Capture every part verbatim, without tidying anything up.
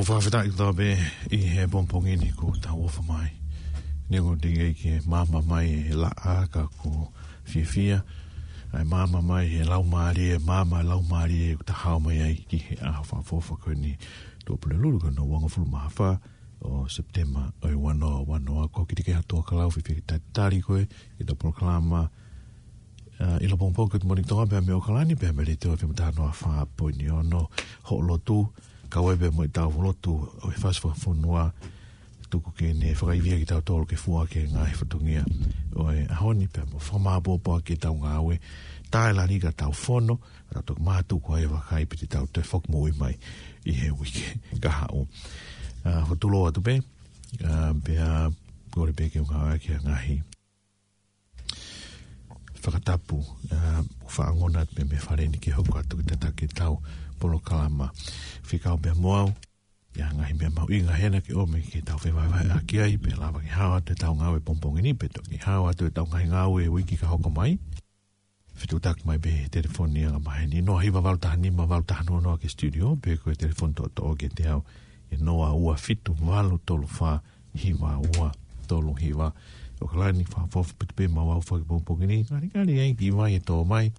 Fakafetaʻi kotoa pē ʻi he pongipongi ni kuo tau ʻofa mai. Neongo teʻeki ke maama mai e laʻā ka ʻoku fiefia. ʻA e maama mai he laumālie, maama laumālie ʻoku ta hao mai ai ki he ʻaho fakaʻofoʻofa ko eni, Tuʻapulelulu ko hono uangofulu mā fā ʻo Sepitema ʻo e ua noa ua noa. Ko Kitikeha Tuakalau, fiefia ke talitali koe ʻi heʻetau polokalama ʻa, ʻi he pongipongi ko eni ʻi Tonga pea mei ʻOkalani, pea mei he Letiō F M taha noa fā poini ono, Hoʻo Lotu, kau ai pē mo ʻetau lotu ʻo e fasi fakafonua, tuku ke ne fakaivia kitautolu ke fua ki he ngaahi fatongia ʻo e ʻaho ni, pea mo fakamāʻopoʻopo ʻaki ʻetau ngāue, tae lali ka tau fono, ka tau toki mātuku ai e vakai pe te tau toe foki moʻui mai ʻi he uike kahaʻu. ʻA, ʻoku tuʻuloa atu pē, ʻa, pea kole pē ke u ngāueʻaki ʻa e ngaahi fakatapu, ʻa, ʻoku faʻa ongona atu mei he fale ni ke hoko atu ke tataki ʻetau polokalama. Fekau pē mo au ʻi ha ngaahi meʻa mahuʻinga hena ke ʻomi ke tau fevahevaheʻaki ai, pea lava ke hao atu ʻetau ngāue pongipongi ni, pe toki hao atu ʻetau ngaahi ngāue uike ka hoko mai. Fetuʻutaki mai pē he telefoni anga maheni, noa hiva valu taha nima valu taha noa noa ki he studio, pe ko e telefoni toʻotoʻo kiate au, ʻe noa ua fitu valu tolu fā hiva ua tolu hiva. ʻOkalani, fakaʻofoʻofa ʻaupito pē maʻau ʻi he pongipongi ni. Ngalingali ai ki vai e tō mai.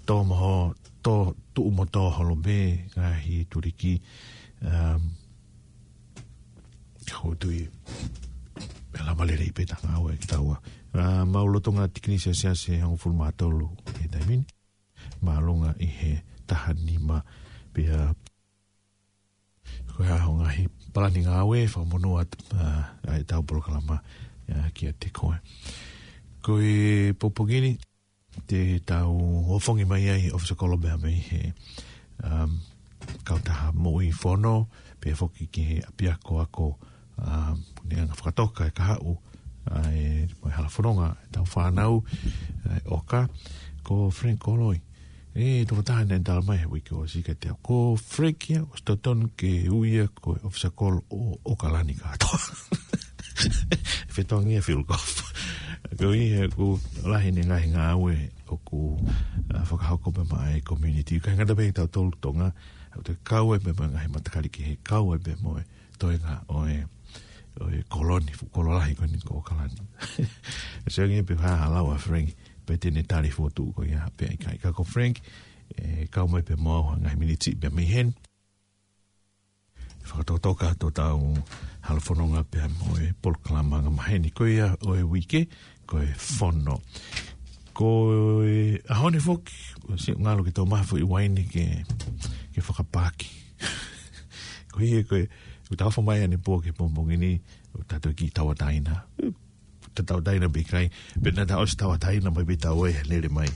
Tō mo ho, tō, tuʻu mo tō holo pē ngaahi tuliki. Um, ʻOku ou tui ʻe lava lelei pē ʻetau ngāue kitaua. ʻA, mau lolotonga tikini Selesiasi ʻe hongofulu mā tolu he taimi ni. Māʻolunga ʻi he taha nima, pea ko e hā hoʻo ngaahi palani ngāue, fakamonū atu, ʻa, ʻa ʻetau polokalama, ʻa, kiate koe. Ko e pongipongi ni, te tau ʻofongi mai ai ʻofisa kolo pea mei he, um, kautaha moʻui fono, pea foki ki he ʻapiako ako, um, ne anga fakatoka e kahaʻu, ʻa, ʻa e, mo e hala fononga ʻetau fānau, ʻa, ʻo ka, ko Frank Koloi. ʻE, tokotaha naʻe tala mai he uike ʻosi kiate au, ko Frank ia, ʻosi totonu ke ui ia ko e ʻofisa kolo ʻo, ʻo ʻOkalani kātoa. Fetongi e field golf. Ko ia ʻoku lahi ʻene ngaahi ngāue ʻoku, ʻa, fakahoko pē maʻa e community. ʻIkai ngata pē ʻi tautolu Tonga, ʻoku toe kau ai pē maʻa e ngaahi matakali kehe, kau ai pē mo e toenga ʻo e, ʻo e kolo ni, fuʻu kolo lahi ko eni ko ʻOkalani. ʻE sio ange pē ha lau ʻa Frank, pe te ne tali fotu ko ia pe ʻikai. Ka ko Frank, ʻe kau mai pē mo au ha ngaahi miniti pē mei heni. Fakatokatoka atu ʻetau hala fononga pea mo e polokalama anga maheni ko ia ʻo e uike, ko e fono. Ko e ʻaho ni foki, ʻosi ngalo ke tau maha foʻi uaine ke, ke fakapaaki. Ko ia ko e, ʻoku tau ʻofa mai ʻanepō ki he pongipongi ni, ʻoku tau toki tauʻatāina. Tau tauʻatāina pe ʻikai, pe naʻa tau ʻosi tauʻatāina mai pē tau ʻai he lele mai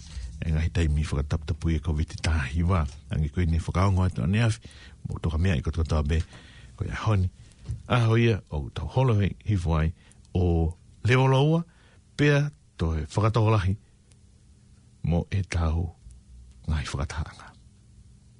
e ngaahi taimi fakataputapui e Kōviti taha hiva. Hangē ko eni fakaongo atu ʻaneafi, mou toka meaʻi kotokotoa pē, ko e ʻaho ni, ʻaho ia ʻoku tau holo hifo ai ʻo levo loua, pea toe fakatokolahi mo ʻetau ngaahi fakatahaʻanga.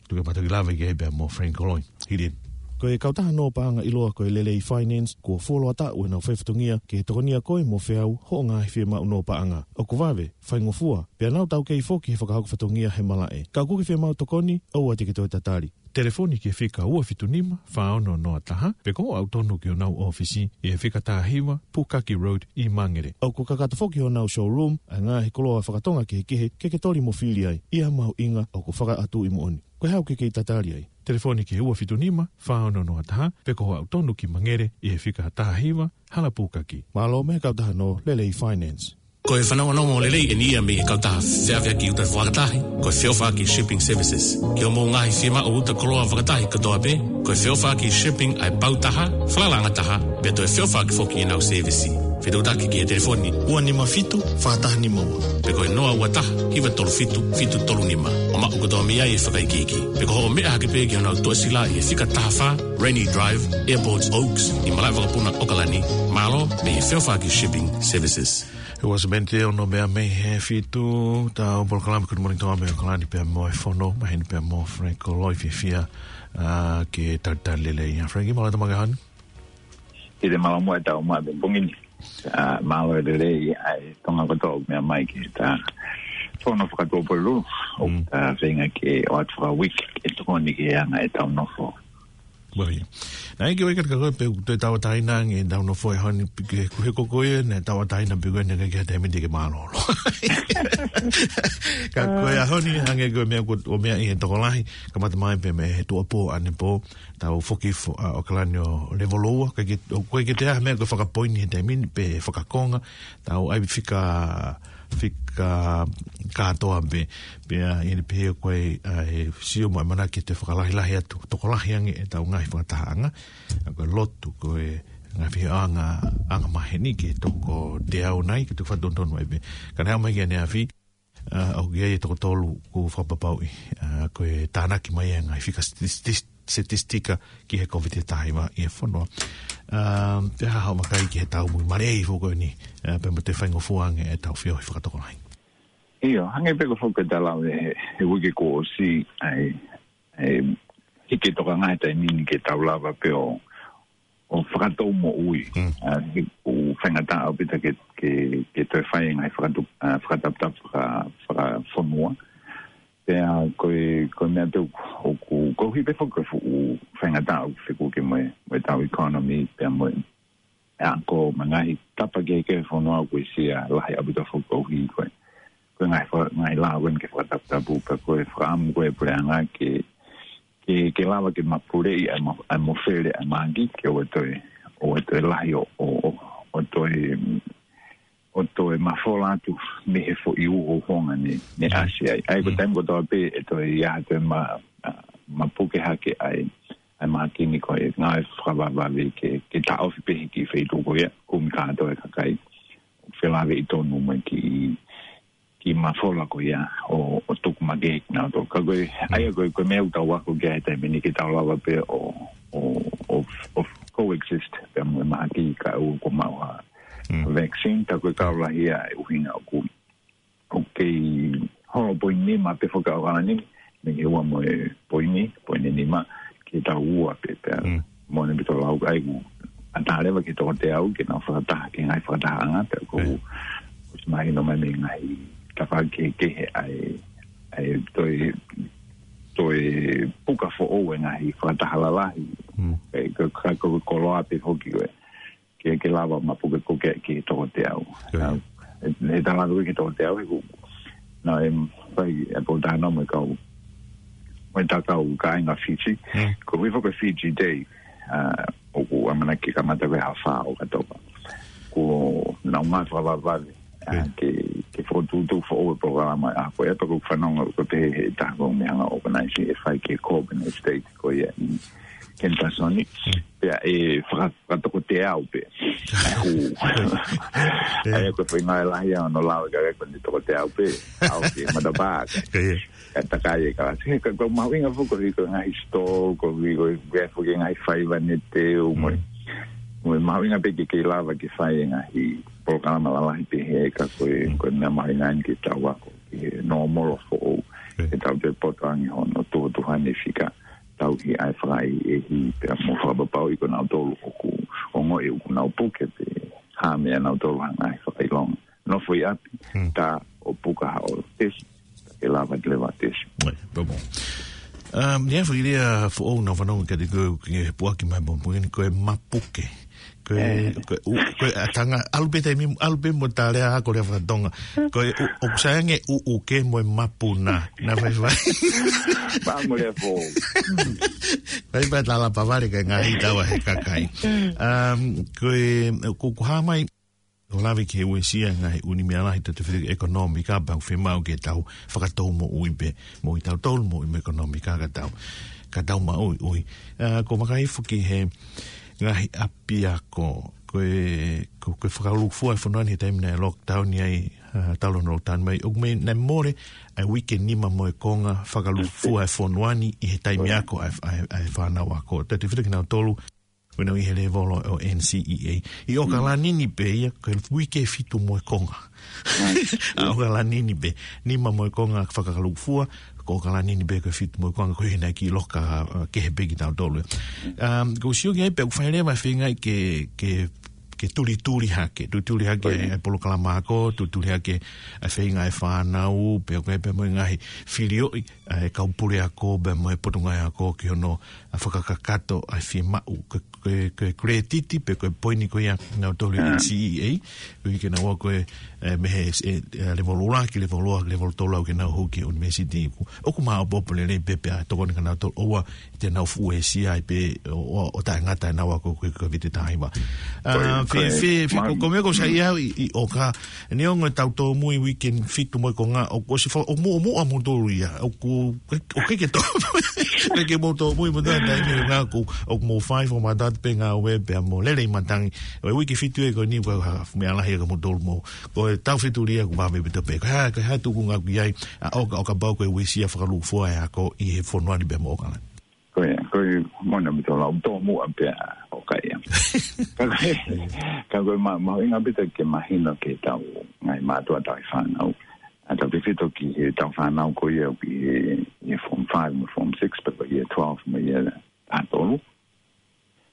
Tuku ke ma toki lave ki ai pea mo Frank Koloi. Hili eni. Ko e kautaha nō paʻanga ʻiloa ko e Lelei Finance, kuo fuoloa taʻu ʻenau fai fatongia ke tokonia koe mo feau hoʻo ngaahi fiemaʻu nō paʻanga. ʻOku vave, faingofua, pea nau taukei foki he fakahoko fatongia he malaʻe. Ka ʻoku ke fiemaʻu tokoni, ʻoua te ke toe tatali. Telefoni ki he fika ua fitu nima, fā ono noa taha, pe ko hoʻo aʻu tonu ki honau ʻōfisi ʻi he fika taha hiva, Pukaki Road ʻi Mangere. ʻOku kakato foki honau showroom ʻa e ngaahi koloa faka-Tonga kehekehe ke ke toli mo fili ai, ʻi ha mahuʻinga ʻoku fakaʻatuʻi moʻoni. Ko e hā ʻoku ke kei tatali ai? Telefoni ki he ua fitu nima, fā ono noa taha, pe ko hoʻo aʻu tonu ki Mangere ʻi he fika taha hiva, Hala Pukaki. Mālō mei he kautaha nō Lelei Finance. Ko e fanongonongo lelei eni ia mei he kautaha feʻaveʻaki uta fakatahi, ko e Feʻofaʻaki Shipping Services. Ki hoʻomou ngaahi fiemaʻu uta koloa fakatahi kotoa pē, ko e Feʻofaʻaki Shipping ʻa e pau taha, falalaʻanga taha, pea toe feʻofaʻaki foki ʻenau sēvisi. Fetuʻutaki ki he telefoni ua nima fitu, fā taha nima ua. Pe ko e noa ua taha, hiva tolu fitu, fitu tolu nima. ʻO maʻu kotoa mei ai e fakaikiiki. Pe ko hoʻo meʻa hake pē ki honau tuʻasila ʻi he fika taha fā, Rainy Drive, Airport Oaks, ʻi Malaʻevakapuna, ʻOkalani. Mālō mei he Feʻofaʻaki Shipping Services. He ua semeni te ono meʻa mei he fitu, ʻetau polokalama Good Morning Tonga mei ʻOkalani pea mo e fono, maheni pea mo Frank Koloi, fiefia, ʻa, ke talitali lelei. ʻA Frank, mālō e tau maʻu e kahaʻu ni. ʻI te mālō mo e tau maʻu e pongipongi ni. ʻA, mālō e lelei ʻa e Tonga kotoa ʻoku meʻa mai ki heʻeta fono faka-Tuʻapulelulu. ʻOku, mm, ʻa, feinga ke ʻoatu fakauike ke tokoni ki he anga ʻetau nofo. Well, yeah. Naʻe ʻikai ke ʻikai ke ʻikai ke pē ʻoku toe tauʻatāina ange ʻetau nofo he ʻaho ni pē ke kuhe ko koe ne tauʻatāina pē koe ne ke ke taimi te ke mālōlō. Ka ko e ʻaho ni hangē ko e meʻa ko, ʻo meʻa ʻi he tokolahi, kamata mai pē mei he tuʻapō ʻanepō, tau foki fo-, ʻa, ʻAokalani ʻo levolo ua, ʻikai ke, ʻoku ʻikai ke toe ʻi ai ha meʻa ko e fakapoini he taimi ni pe fakakonga, tau ʻai fika, fika kātoa pē, pea ʻi he pehē ko e, ʻa, ʻe sio mai ʻamanaki ke fakalahilahi atu, tokolahi ange ʻetau ngaahi fakatahaʻanga, ʻa, ko e lotu, ko e ngaahi feohiʻanga, anga maheni ke toko teau nai, ke toko fakatonutonu mai pē. Ka naʻe ʻomai ki ʻaneafi, ʻa, ʻoku ʻi ai e toko tolu kuo fakapapauʻi, ʻa, ko e tānaki mai e ngaahi fika stis-, stis-, statistika ki he Kōviti taha hiva ʻi he fonua. ʻA, pea haʻu mai ki he taumuʻa mare foki ko eni, ʻa, pea mo e faingofua ange ʻetau feohi fakatokolahi. ʻIo, hangē pē ko e foki ʻa e tala ʻi he, he uike kuo ʻosi, ʻa e, ʻa e, hiki toka ngaahi taimi ni ke tau lava pē ʻo, ʻo fakatou moʻui. Mm. ʻA, he ʻoku faingataʻa ʻaupito ke, ke, ke toe fai e ngaahi fakatu-, ʻa, fakataputapu faka-, fakafonua. Pea ko e, ko e meʻa pē ʻoku, ʻoku, koeʻuhi pē foki ko e fuʻu faingataʻa ʻoku fekuki mo e, mo ʻetau economy, pea mo e, ʻa, ko e ngaahi tapa kehekehe fonua ʻoku ʻi ai e lahi ʻaupito foki koeʻuhi ko e, ko e ngaahi fa-, ngaahi lao ko eni ke fakataputapu, pea ko e fakaʻamu ko e puleʻanga ke, ke, ke lava ke mapuleʻi ʻa e ma-, ʻa e mafele ʻa e mahaki, ke ʻoua toe, ʻoua toe lahi ʻo, ʻo, ʻo, ʻo toe, ʻo toe mafola atu mei he foʻi uho honga ne, ne ʻasi ai. ʻA ia ko e taimi kotoa pē ʻe toe ʻi ai ha toe ma-, ʻa, mapuke hake ʻa e, ʻa e mahaki ni ko e ngāue fakavavevave ke, ke taʻofi pē hiki feituʻu ko ia, kumi kātoa e kakai. Felāveʻi tonu mai ki, ki mafola ko ia ʻo, ʻo tuku makehe kinautolu. Ka ko e, ʻa ia ko e, ko e meʻa ʻoku tau ako ki ai he taimi ni ke tau lava pē ʻo, ʻo, ʻo, ʻo coexist pea mo e mahaki kae ʻoua kuo maʻu ha vaccine, ka ko e kau lahi ia e ʻuhinga ʻoku, ʻoku kei holo poini nima pē foki ʻAokalani ni, mei he ua mo e poini, poini nima, ki he tau ua pē pea. Mo ne pito lau ai ku, ʻatā leva ki he toko teau, ke nau fakataha, ki he ngaahi fakatahaʻanga, pea ko, ʻosi mahino mai mei he ngaahi tafaʻaki kehekehe ʻa e, ʻa e toe, toe puka foʻou e ngaahi fakataha lalahi. ʻE, ka, ka, ka, koloa pē foki ko e. Ke, ke lava mapuke ko ke ki he toko teau. ʻA, ʻe, ʻe tala ko e ki he toko teau, ʻe ku, naʻe fai e pōtalanoa mo e kau, mo e takau kāinga Fiji. Ko e foki Fiji Day, ʻa, ʻoku ʻamanaki ke kamata ko e ʻaho fā ʻo ʻOkatopa. Ko e ngāue fakavavevave, ʻa, ke, ke fokotuʻutuʻu foʻou e polokalama, ʻa, ko e ʻepa ko fanongo ko te he taha ko e meʻa hanga ʻo organize e fai ki he Cobb Estate ko ia ʻi Kentasoni. Pea ʻe faka-, fakatoko teau pē. ʻAi ku. ʻAi ko e foʻi ngāue lahi ʻa hono lau e kakai ko eni toko teau pē. ʻAu ki matapā. Ka takai e kalasi. Ka, ka mahuʻinga foki ko e ngaahi store, ko e, ko e, ko e ngaahi faiva ne teu mo. Mo mahuʻinga pē ke, ke lava ke fai e ngaahi polokalama lalahi pehē ka ko e, ko e meʻa mahuʻinga eni ke tau ako. Ke nōmolo foʻou. Ke tau toe poto ange hono tuhutuhu ʻa e fika. Tauhi ʻa e fakaʻehiʻehi pea mo fakapapauʻi ko nautolu ʻoku ongoʻi ʻoku nau puke pe hā meia nautolu ha ngaahi fakaʻilonga. Nofo ʻi ʻapi, tā ʻo puka haʻo tesi, ke lava ke leva tesi. ʻOi, pea mo. Um, ʻi he foʻi lea foʻou naʻa ku fanongo kiate koe ke puʻaki mai mo pungini ko e mapuke. Ko e, ko e, u-, ko e ʻatā ngā, ʻalu pē taimi, ʻalu pē mo e tala ako lea fakatonga. Ko e, u-, ʻoku sai ange ʻuʻuke mo e mapuna. Naʻa faifai. Pea mo lea foʻou. Faifai tala pavale ka ngaahi tau ʻa e kakai. Um, ko e, ko, ko hā mai, ʻo lave ki he uesia ngaahi ʻū meʻa lahi ʻo e tefitoʻi ʻekonōmika pea ʻoku fiemaʻu ke tau fakatou moʻui pē, moʻui tautolu, moʻui mo e ʻekonōmika ka tau, ka tau maʻuiʻui. ʻA, ko e vakai foki he ngaahi ʻapiako, ko e, ko, ko e fakalūkufua e fonua ni he taimi naʻe lockdown ai, ʻa, talu hono lockdown mai, ʻoku mei naʻe mole ʻa e uike nima mo e konga fakalūkufua e fonua ni ʻi he taimi ako ʻa e, ʻa e, ʻa e fānau ako. Tefitoʻi kinautolu, ʻoku nau ʻi he lēvolo ʻo NCEA. ʻI ʻAokalani ni pē ia, ko e uike fitu mo e konga. ʻA ʻAokalani ni pē, nima mo e konga fakalūkufua, ko ʻAokalani ni pē ko e fitu mo e konga, ko e hina ki loka, ʻa, kehe pē kitautolu. Um, ʻoku ou sio ki ai pē ʻoku fai leva e feinga ke, ke ke tulituli hake, tulituli hake ʻa e polokalama ako, tulituli hake ʻa e feinga ʻa e fānau, pea ko e pea mo e ngaahi filioʻi ʻa e kau puleako, pea mo e potungāue ako ki hono ʻa fakakakato ʻa e fiemaʻu, ko e, ko e, ko e credit, pe ko e poini ko ia ʻa kinautolu ʻi he N C E A, koeʻuhi ke nau ako ʻi he, ē, mei he, ē, ē, level ua ki level ua, level tolu ʻo aʻu ke nau hū ki he university. ʻOku, ʻoku māʻopoʻopo lelei pē pea tokoni kia kinautolu ʻoua te nau fuʻu uesia ai pē ʻo, ʻo, ʻo taʻengata ʻenau ako ko e Kōviti taha hiva. Ko e, ʻA, ko e, fē, fē, fē, ma- ko, ko e meʻa ʻoku ou saiʻia au ʻi, ʻi ʻOka, neongo ʻetau tōmui weekend fitu mo e konga, ʻoku ʻosi fa-, ʻoku mou, ʻoku mou ʻa moutolu ia, ʻoku, ʻoku ʻikai ke tō-, ʻikai ke mou tōmui mo e taimi ʻoku, ʻoku mou fai fakamatala pē ngāue pea mo lele ʻi matangi. ʻO e uike fitu ē ko eni ʻoku ʻikai ha fuʻu meʻa lahi ia kia moutolu mo Ko e taufetulia ʻoku vave ʻaupito pē. Ko e hā, ko e hā e tuʻunga ʻoku ʻi ai ʻa ʻOka, ʻo kapau ko e uesia fakalūkufua ʻa e ako ʻi he fonua ni pea mo ʻOkalani? Ko e, ko e moʻoni ʻaupito lau tōmuʻa pē ʻa ʻOka ia. Ka ko e, ka ko e ma-, mahuʻinga ʻaupito ke mahino ki heʻetau ngaahi mātuʻa tauhi fānau. ʻA tautefito ki heʻetau fānau ko ia ʻoku ʻi he, ʻi he form five mo form six, pe ko e year twelve mo e year taha tolu.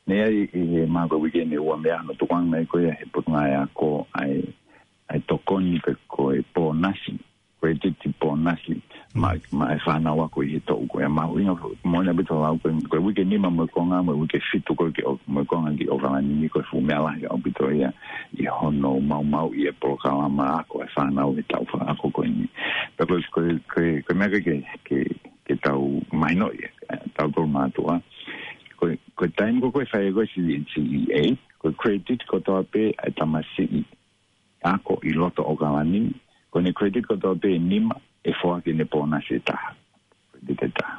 Naʻe ʻi ai ʻi he mākua weekend ʻe ua meʻa naʻe tukuange mai ko ia ʻe he potungāue ako ʻa e, ʻa e tokoni pe ko e pōnasi, credit pōnasi, maʻa, maʻa e fānau ako ʻi he toʻu ko ia. Mahuʻinga, moʻoni ʻaupito lau ko e, ko e uike nima mo e konga, mo e uike fitu ko ē ki ʻo, mo e konga ki ʻOkalani ni ko e fuʻu meʻa lahi ʻaupito ia ʻi hono maumauʻi e polokalama ako e fānau he taʻu fakaako ko eni. Pea ko e, ko e, ko e, ko e meʻa ke, ke, ke tau mahinoʻi, ē, tautolu mātuʻa. Ko e, ko e taimi ko ē ʻoku fai ko ē ʻa e C D N C E A, ko e credit kotoa pē ʻa e tamasiʻi ako ʻi loto ʻOkalani, ko ʻene credit kotoa pē ʻe nima ʻe foaki ʻene pōnasi ʻe taha. Credit ʻe taha.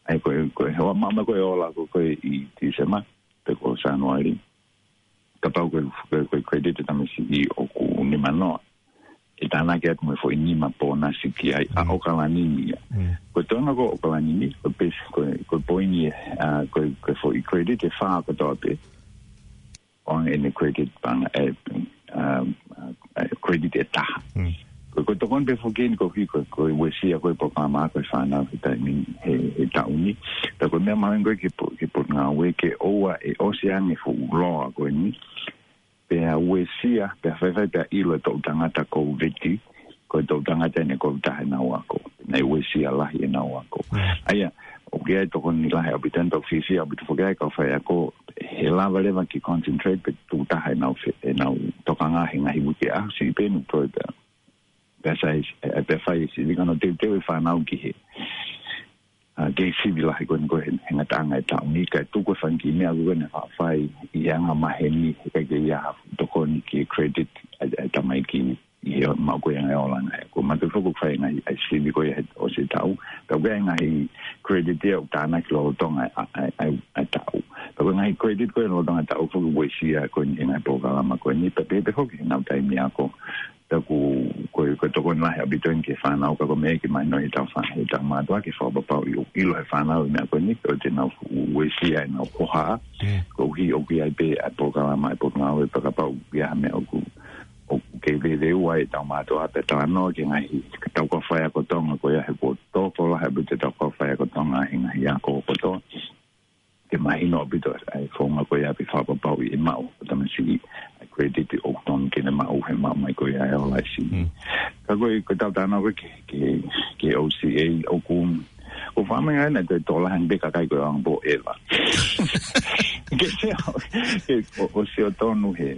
ʻA ia ko e, ko e, ʻoua maʻu mai ko e ola ko ē ʻi Tīsema, pe ko Sānuali. Kapau ko e, ko e, ko e credit ʻa e tamasiʻi ʻoku nima noa, ʻe tānaki atu mo e foʻi nima pōnasi ki ai ʻa ʻOkalani ni ia. Ko e toenga ko ē ʻOkalani ni, ko e pes-, ko e, ko e poini, ʻa, ko e, ko e foʻi credit ʻe fā kotoa pē. ʻOange ʻene credit panga, ē, ʻa, ʻa, ʻa, credit ʻe taha. Ko e, ko e tokoni pē foki eni koeʻuhi ko e, ko e uesia ko ē polokalama ako e fānau he taimi, he, he taʻu ni. Pea ko e meʻa mahuʻinga ko ē ki he po-, ki he potungāue ke ʻoua ʻe ʻosi ange fuʻu loa ko eni. Pea uesia, pea faifai pea ʻilo e toʻu tangata Kōviti, ko e toʻu tangata ʻene Kōviti taha ʻenau ako. Naʻe uesia lahi ʻenau ako. ʻA ia, ʻoku ʻi ai e tokoni lahi ʻaupito ʻeni, tau fiefia ʻaupito foki ai kau faiako, he lava leva ke concentrate pe tuku taha ʻenau fe-, ʻenau tokanga he ngaahi uike ʻaho siʻi pē ʻeni ʻoku toe pea. Pea sai, ʻe, pea fai e sivi ka nau teuteu e fānau ki he ʻa, kei sivi lahi ko eni ko e he, he ngataʻanga e taʻu ni, kae tuku e fanga kiʻi meʻa ko ē naʻe faʻa fai ʻi he anga maheni, he ʻikai ke ʻi ai ha tokoni ki he credit ʻa e, ʻa e tamaiki ʻi he maʻu ko ē ʻa e ngaahi ola ʻa e ngaahi ako. Ko e mātuʻa foki ʻoku fai e ngaahi ʻa e sivi ko ē he ʻosi e taʻu, pea ko e ngaahi credit ia ʻoku tānaki lolotonga ʻa e, ʻa e, ʻa e, ʻa e taʻu. Pea ko e ngaahi credit ko ē lolotonga e taʻu foki ʻoku uesia ko eni he ngaahi polokalama ko eni, pea pehē pē foki heʻenau taimi ako. Pea ko, ko, ko e tokoni lahi ʻaupito eni ki he fānau, ka ko e meʻa ke mahino heʻetau fā-, heʻetau mātuʻa ke fakapapauʻi ʻoku ʻilo he fānau e meʻa ko eni, ʻoua te nau fuʻu uesia ʻenau hohaʻa. Koeʻuhi ʻoku ʻi ai pē ʻa e polokalama ʻa e potungāue pea kapau ʻoku ʻi ai ha meʻa ʻoku, ʻoku kei veveua ai ʻetau mātuʻa pea talanoa ki he ngaahi, ke tau kau faiako Tonga ko ia he kuo tokolahi ʻaupito ʻetau kau faiako Tonga he ngaahi ako kotoa. Ke mahino ʻaupito ʻa e founga ko ia pea fakapapauʻi ʻe maʻu ʻe he tamasiʻi ʻa e credit ʻoku totonu ke ne maʻu he maʻu mai ko ia e ola ʻa e sivi. Ka ko e, ko ʻetau talanoa ko ē ki he, ki he, ki he O C A ʻoku, ʻoku fakamahino ʻa e tokolahi ʻa e kakai ko e ʻaonga pō ʻeva. Ke sio, ke ʻo, ʻo siotonu he,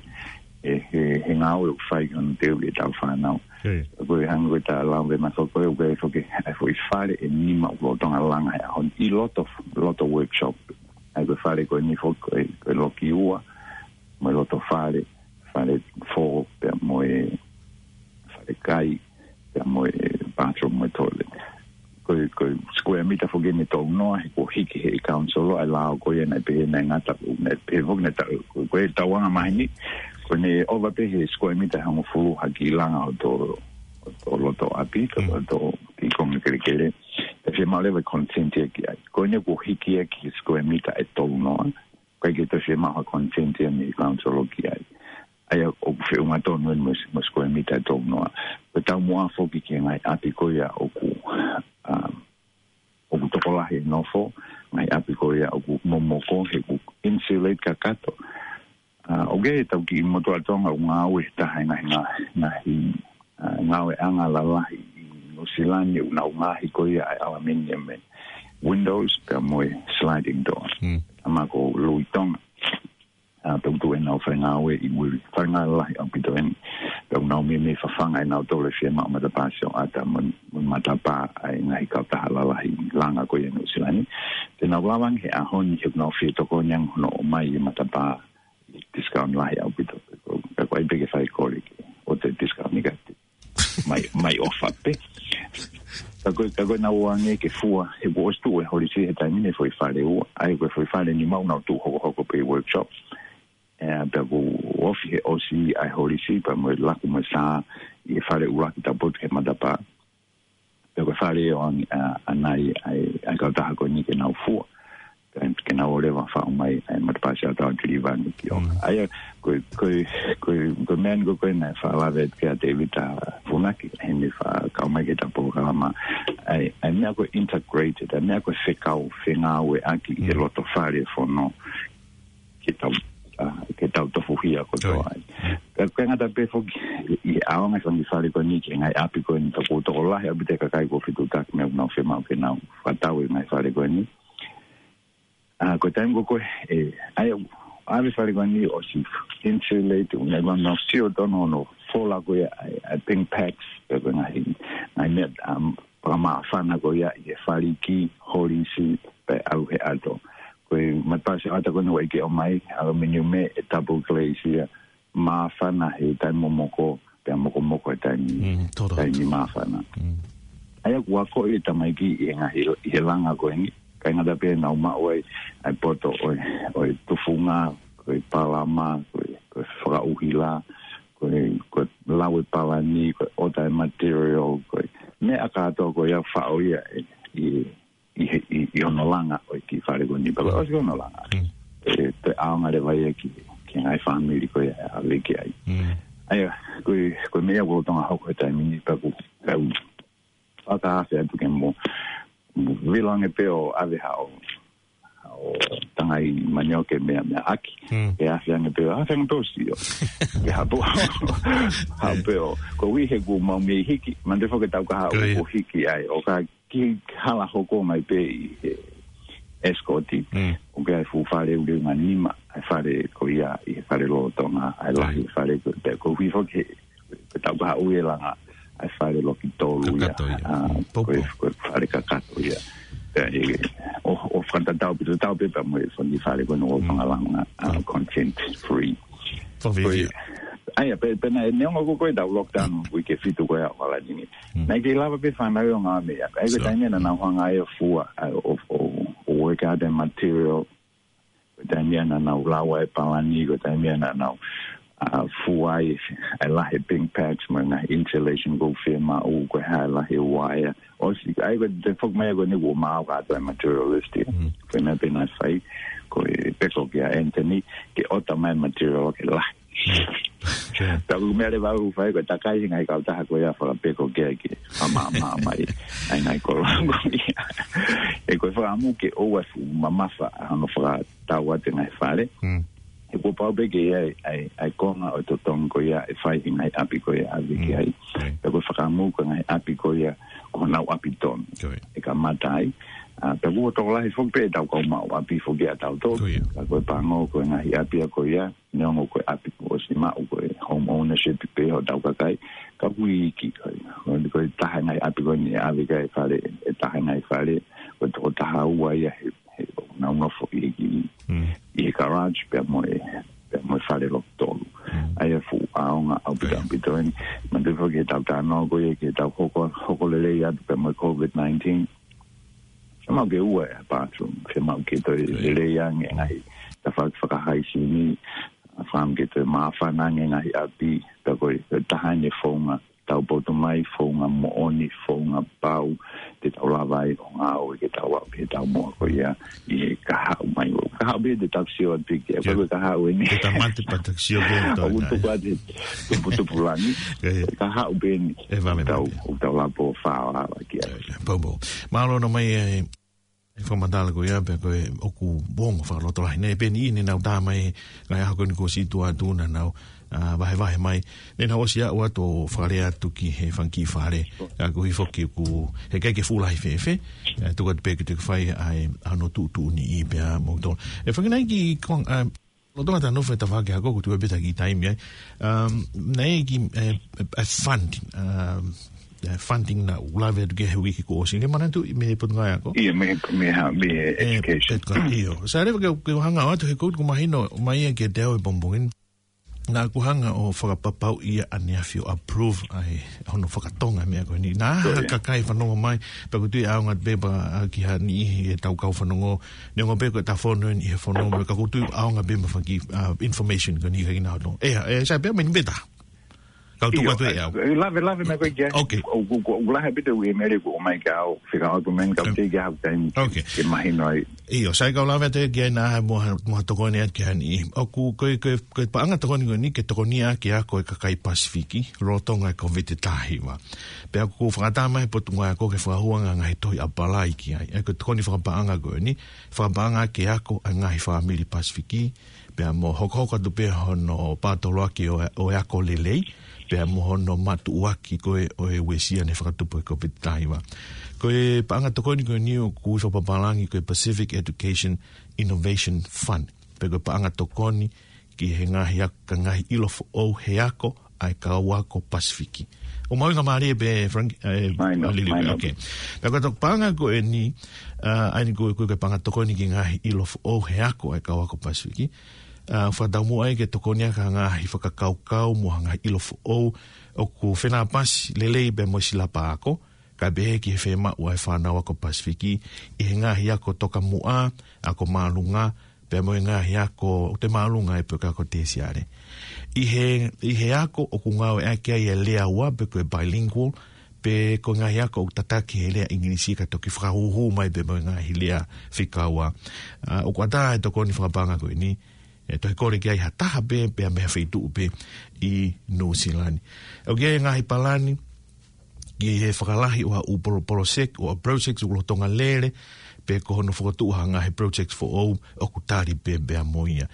he, he, he ngāue ʻoku fai ki hono teuʻi ʻetau fānau. Ko e hangē ko e talanoa mai foki ko ē, ko e foki, ʻa e foʻi fale ʻe nima ʻoku lolotonga langa he ʻaho ni ʻi loto, loto workshop. ʻA ia ko e fale ko eni foki ko e, ko e loki ua, mo e loto fale, fale fō, pea mo e fale kai, pea mo e bathroom mo e toilet. Ko e, ko e square mita foki eni ʻe tolu noa, he kuo hiki ʻe he council ʻa e lao ko ia naʻe pehē naʻe ngata, naʻe pehē foki naʻe ta-, ko, ko ʻetau anga maheni, ko ʻene ʻova pē he square mita ʻe hongofulu ha kiʻi langa ʻo tō, ʻo tō loto ʻapi, tō, tō ʻi konga kelekele. Pea fiemaʻu leva e consent ia ki ai. Ko eni kuo hiki ia ki he square mita ʻe tolu noa, ʻikai ke toe fiemaʻu ha consent ia mei he council ki ai. ʻA ia ʻoku feʻunga tonu eni mo e, mo e square mita ʻe tolu noa. Ko e taumuʻa foki ki he ngaahi ʻapi ko ia ʻoku, um, ʻoku tokolahi e nofo, ngaahi ʻapi ko ia ʻoku momoko, he ʻoku insulate kakato. ʻA, ʻoku ʻi ai e tau kiʻi motuʻa Tonga ʻoku ngāue he taha e ngaahi, ngaahi, ngaahi, ʻa, ngāueʻanga lalahi ʻi Nuʻusila ni, ʻoku nau ngaohi ko ia ʻa e ʻalameni ʻa e windows, pea mo e sliding door. Mm. ʻA ia ko Lui Tonga. ʻA, tau tuʻu ʻenau fai ngāue ʻi Wili, fai ngāue lahi ʻaupito eni. Pea ʻoku nau meimei fafanga ʻenau tolo e fiemaʻu matapā sioʻata mo, mo matapā ʻa e ngaahi kautaha lalahi langa ko ia Nuʻusila ni. Te nau lava ange he ʻaho ni he ʻoku nau fie tokoni ange hono ʻomai e matapā discount lahi ʻaupito. Ka ko ai pē ke fai kole ke ʻoatu e discount ni ka te mai, mai ʻofa pē. Ka ko e, ka ko e nau ō ange ke fua, he kuo ʻosi tuʻu e holisi he taimi ni e foʻi fale ua. ʻA ia ko e foʻi fale nima ʻoku nau tuʻu hokohoko pē ʻi workshop. ʻE, pea kuo ofi he ʻosi ʻa e holisi pea mo e laku mo e sā ʻi he fale ʻuluaki tau potu he matapā. Pea ko e fale ʻoange ʻa, ʻanai ʻa e, ʻa e kautaha ko eni ke nau fua. Ke, ke nau ō leva ʻo faʻu mai ʻa e matapā sioʻata ʻo deliver ange ki ʻolunga. Mm. ʻA ia, ko e, ko e, ko e, ko e meʻa ni ko ē naʻe faʻa lave atu ki ai ʻa Tēvita Funaki, he naʻe faʻa kau mai ki heʻeta polokalama. ʻA e, ʻa e meʻa ko e integrated, ʻa e meʻa ko e fekau, fengāueʻaki ʻi he Mm. loto fale fono. Ke tau, ʻa, ke tau tofuhia kotoa Oi. ai. Ka, ka ngata pē foki, ʻi he ʻaonga e fanga fale ko eni ki he ngaahi ʻapi ko eni, ka kuo tokolahi ʻaupito e kakai kuo fetuʻutaki mo ʻenau fiemaʻu ke nau fakatau e ngaahi fale ko eni. ʻA, ko e taimi ko ē, ʻe, ʻa ia, ʻave fale ko eni ʻosi insulate, ʻoku nau, nau sio tonu hono fola ko ia ʻa e, ʻa e pink packs, pea ko e ngaahi, ngaahi meʻa, um, fakamāfana ko ia ʻi he faliki, holisi, pea ʻalu he ʻato. Ko e matapā sioʻata ko eni ʻoku ʻikai ke ʻomai, ʻaluminiume, ʻe double glaze ia, māfana he taimi momoko, pea mokomoko he taimi, Mm, toro. taimi māfana. Mm. ʻA ia kuo akoʻi e tamaiki ʻi he ngaahi, ʻi he langa ko eni. ʻIkai ngata pē naʻa nau maʻu ai ʻa e poto ʻo e, ʻo e tufunga, ko e palama, ko e, ko e fakaʻuhila, ko e, ko e lau e palani, ko e ʻota e material, ko e meʻa kātoa ko ia faʻo ia ʻe, ʻi ʻi he, ʻi, ʻi hono langa ʻo e kiʻi fale ko eni pea ʻosi hono langa. Mm. ʻE, toe ʻaonga leva ia ki, ki he ngaahi fāmili ko ia ʻe ʻave ki ai. Mm. ʻA ia, ko e, ko e meʻa ia ʻoku lolotonga hoko he taimi ni pea ʻoku, pea ʻoku fakaafe atu ke mo, mo vilo ange pē ʻo ʻave haʻo, haʻo tangai manioke meʻa, meʻa ʻaki. Mm. Ke afe ange pē ʻo, afe ange pē ʻo sio. Ke hapo, hapo pē ʻo, ko ui he kuo mau mei hiki, mande foke tau ka haʻu Ko ia. kuo hiki ai, ʻo ka ki hala hoko mai pē ʻi he Escort. Mm. ʻOku ʻi ai e fuʻu fale ʻe ua nima, ʻa e fale ko ia ʻi he fale lolotonga, ʻa e lahi Right. fale ko, pea ko hui foki he, ko e tau ka haʻu e langa, ʻa e fale loki tolu ia, Kakato ia. ʻa, Mm. ko e, Poupou. ko e fale kakato ia. Pea ʻe, ʻo, ʻo fakatatau pē, tatau pē pea mo e fanga fale ko ena ʻoku Mm. fanga langa, ʻa, Mm. content free. Fakafiefia. Ko e, ʻa ia, pea, pea naʻe, neongo ko ē ʻetau lockdown, uike fitu ko ia ʻo ʻAokalani ni. Mm. Naʻe ʻikai lava pē fānau ʻo ngāue mei ʻapi. ʻA ia ko e So. taimi ia naʻa nau hanga ai ʻo fua, ʻa, ʻo, ʻo, ʻo work out e material. Ko e taimi ia naʻa nau lau ai e palani, ko e taimi ia naʻa nau, ʻa, fua ai, ʻa e lahi e pink packs, mo e ngaahi insulation ʻoku fiemaʻu, ko e hā e lahi e uaea. ʻOsi, ʻa ia ko e toe foki mai ko eni kuo maau kātoa e material list ia. Mm. Ko e meʻa pē naʻe fai, ko e peko kia Anthony, ke ʻota mai e material ke lahi. Mm. Sure. Ka ko e meʻa leva ʻoku fai, ko e takai he ngaahi kautaha ko ia fakapeko ke, ke, ʻa mā, mā, mai, ʻa e ngaahi kolo ko ia. ʻE ko e fakaʻamu ke ʻoua ʻe fuʻu mamafa, ʻa hono fakatau atu e ngaahi fale. Mm. He kuo pau pē ke ʻi ai, ʻa e, ʻa e konga ʻo e totongi ko ia ʻe fai he ngaahi ʻapi ko ia ʻave ki Mm. ai. Right. Pea ko e fakaʻamu ko e ngaahi ʻapi ko ia, ko honau ʻapi tonu. Ko ia. ʻE kamata ai. ʻA, pea kuo tokolahi foki pē ʻetau kau maʻu ʻapi foki ʻa tautolu. Ko ia. Ka ko e pango ko e ngaahi ʻapi ia ko ia, neongo ko e ʻapi kuo ʻosi maʻu ko e home ownership pē hotau kakai. Ka ʻoku iiki ko ia. Ko e, ko e taha e ngaahi ʻapi ko eni ʻave ki ai e fale, ʻe taha e ngaahi fale, ko e toko taha ua ia he he ʻoku nau nofo ʻi he kiʻi, Mm. ʻi he garage pea mo e, pea mo e fale loki tolu. Mm. ʻA ia fuʻu ʻaonga ʻaupito, ʻIo. ʻaupito eni. Manatuʻi foki he tau talanoa ko ia ki he tau hoko, hoko lelei atu pea mo e covid nineteen. Fiemaʻu ke ua e bathroom, fiemaʻu ke toe ʻIo. lelei ange e ngaahi tafaʻaki fakahaisini, ʻa, fiemaʻu ke toe māfana ange e ngaahi ʻapi, pea ko e, ko e taha eni e founga tau potu mai, founga moʻoni, founga pau, te tau lava ai ʻo ngāue ke tau aʻu ki he taumuʻa ko ia, ʻi he kahaʻu mai ʻo. Kahaʻu pē te tau sio atu ki ai, Sio. pea ko e kahaʻu eni. Te tau mate pea tau sio pē ʻo tau ʻOku ngai. tuku atu he tuputupulangi. Ko ia. Kahaʻu pē eni. ʻE vave Tau, mai. ʻoku tau lava ʻo fāʻo lava ki ai. Ko ia. Poupou. Mālō ʻana mai e Fakamatala ko ia pea ko e ʻoku ongo fakalotolahi. Naʻe peni ʻi heʻenau tā mai, ngaahi ʻaho ko eni kuo situʻa atu naʻa nau, ʻa, vahevahe mai. Naʻa nau ʻosi ʻalu atu ʻo fakalea atu ki he fanga kiʻi fale. ʻA, ko e foki ʻoku, heʻikai ke fuʻu lahi fēfē. ʻA, tuku atu pē ke te fai ai, ʻa, ʻa hono tuʻutuʻuni ʻi pea mo to. ʻE fanga nai ki kong, ʻa, Loto ngata nofo e tafake ako, ko tu e peta ki taimi ai. Um, naʻe ki, eh, eh, funding, um, eh, funding naʻa ku lave atu ki he uike kuo ʻosi. Ke manatu ʻi mei he Potungāue Ako? ʻIo, mei he, mei ha, mei he Eh, education. Pet ka, ʻio. Sa leva ke, ke hanga atu he koutu ko mahino, mai ia ke te au e pongipongi ni. Naʻa ku hanga ʻo fakapapauʻi ia ʻaneafi ʻo approve ai hono fakatonga meʻa ko eni. Naʻa ha Sure. kakai fanongo mai, pea ko tui ʻaonga pē pea, ʻa, ki ha niʻihi ʻetau kau fanongo, neongo pē ko e ta fono eni he fono, mo ka ko tui ʻaonga pē mo faki, ʻa, information ko eni ka kina hono. E, e, sa pē meni pē ta. Kau tuku ʻIo, atu e au. e, lave, lave mai ko e kia. Okay. O, o, o, o lahe pē te u ʻi mele ko mai ka au, fika au tu men ka Em. te kia hau taimi. Okay. Ke mahino ai. ʻIo, sai kau lave atu ki ai naʻa mo ha, mo ha tokoni atu ki ha niʻihi. ʻOku, ko e, ko e, ko e paʻanga tokoni ko eni, ke tokoni ʻa ke ako e kakai Pasifiki, lolotonga e COVID taha hiva. Pea ʻoku fakatama he Potungāue Ako ke fakahua ngaahi tohi ʻapalai ki ai. ʻE ko e tokoni fakapaʻanga ko eni, fakapaʻanga ke ako ʻa e ngaahi fāmili Pasifiki, pea mo hokohoko atu pē hono pātoloaki ʻo, ʻo e ako lelei, pea mo hono matuʻuaki ko ē ʻo e uesia naʻe fakatupu he COVID taha hiva. Ko e paʻanga tokoni ko eni ʻoku ui fakapapālangi ko e Pacific Education Innovation Fund. Pea ko e paʻanga tokoni ki he ngaahi ak-, ka ngaahi ʻilo foʻou he ako ʻa e kau ako Pasifiki. ʻO mahuʻinga mālie pē, Frank, eh, Mai nō, Lili, mai nō. Okay. Pea ko e toko paʻanga ko eni, ʻa, ʻa eni ko, ko e paʻanga tokoni ki he ngaahi ʻilo foʻou he ako ʻa e kau ako Pasifiki. ʻA, fakataumuʻa ai ke tokoni ʻaki ha ngaahi fakakaukau mo ha ngaahi ʻilo foʻou ʻoku fenāpasi lelei pea mo e silapa ako, kae pehē ki he fiemaʻu ʻa e fānau ako Pasifiki ʻi he ngaahi ako tokamuʻa, ako māʻolunga, pea mo e ngaahi ako ʻoku toe māʻolunga ai pe ko e ako tēsiale. ʻI he, ʻi he ako ʻoku ngāueʻaki ai e lea ua pe ko e bilingual, pe ko e ngaahi ako ʻoku tataki he lea ʻIngilisi ka toki fakahūhū mai pē mo e ngaahi lea fika ua. ʻA, ʻoku ʻatā e tokoni fakapaʻanga ko eni, ʻe toe kole ki ai ha taha pē, pea mei ha feituʻu pē ʻi Nuʻusila ni. ʻOku ʻi ai e ngaahi palani ki he fakalahi ʻo ha ʻū polo-, poloseki, ʻo ha projects ʻoku lolotonga lele, pe ko hono fokotuʻu ha ngaahi projects foʻou ʻoku tali pē pea mo ia.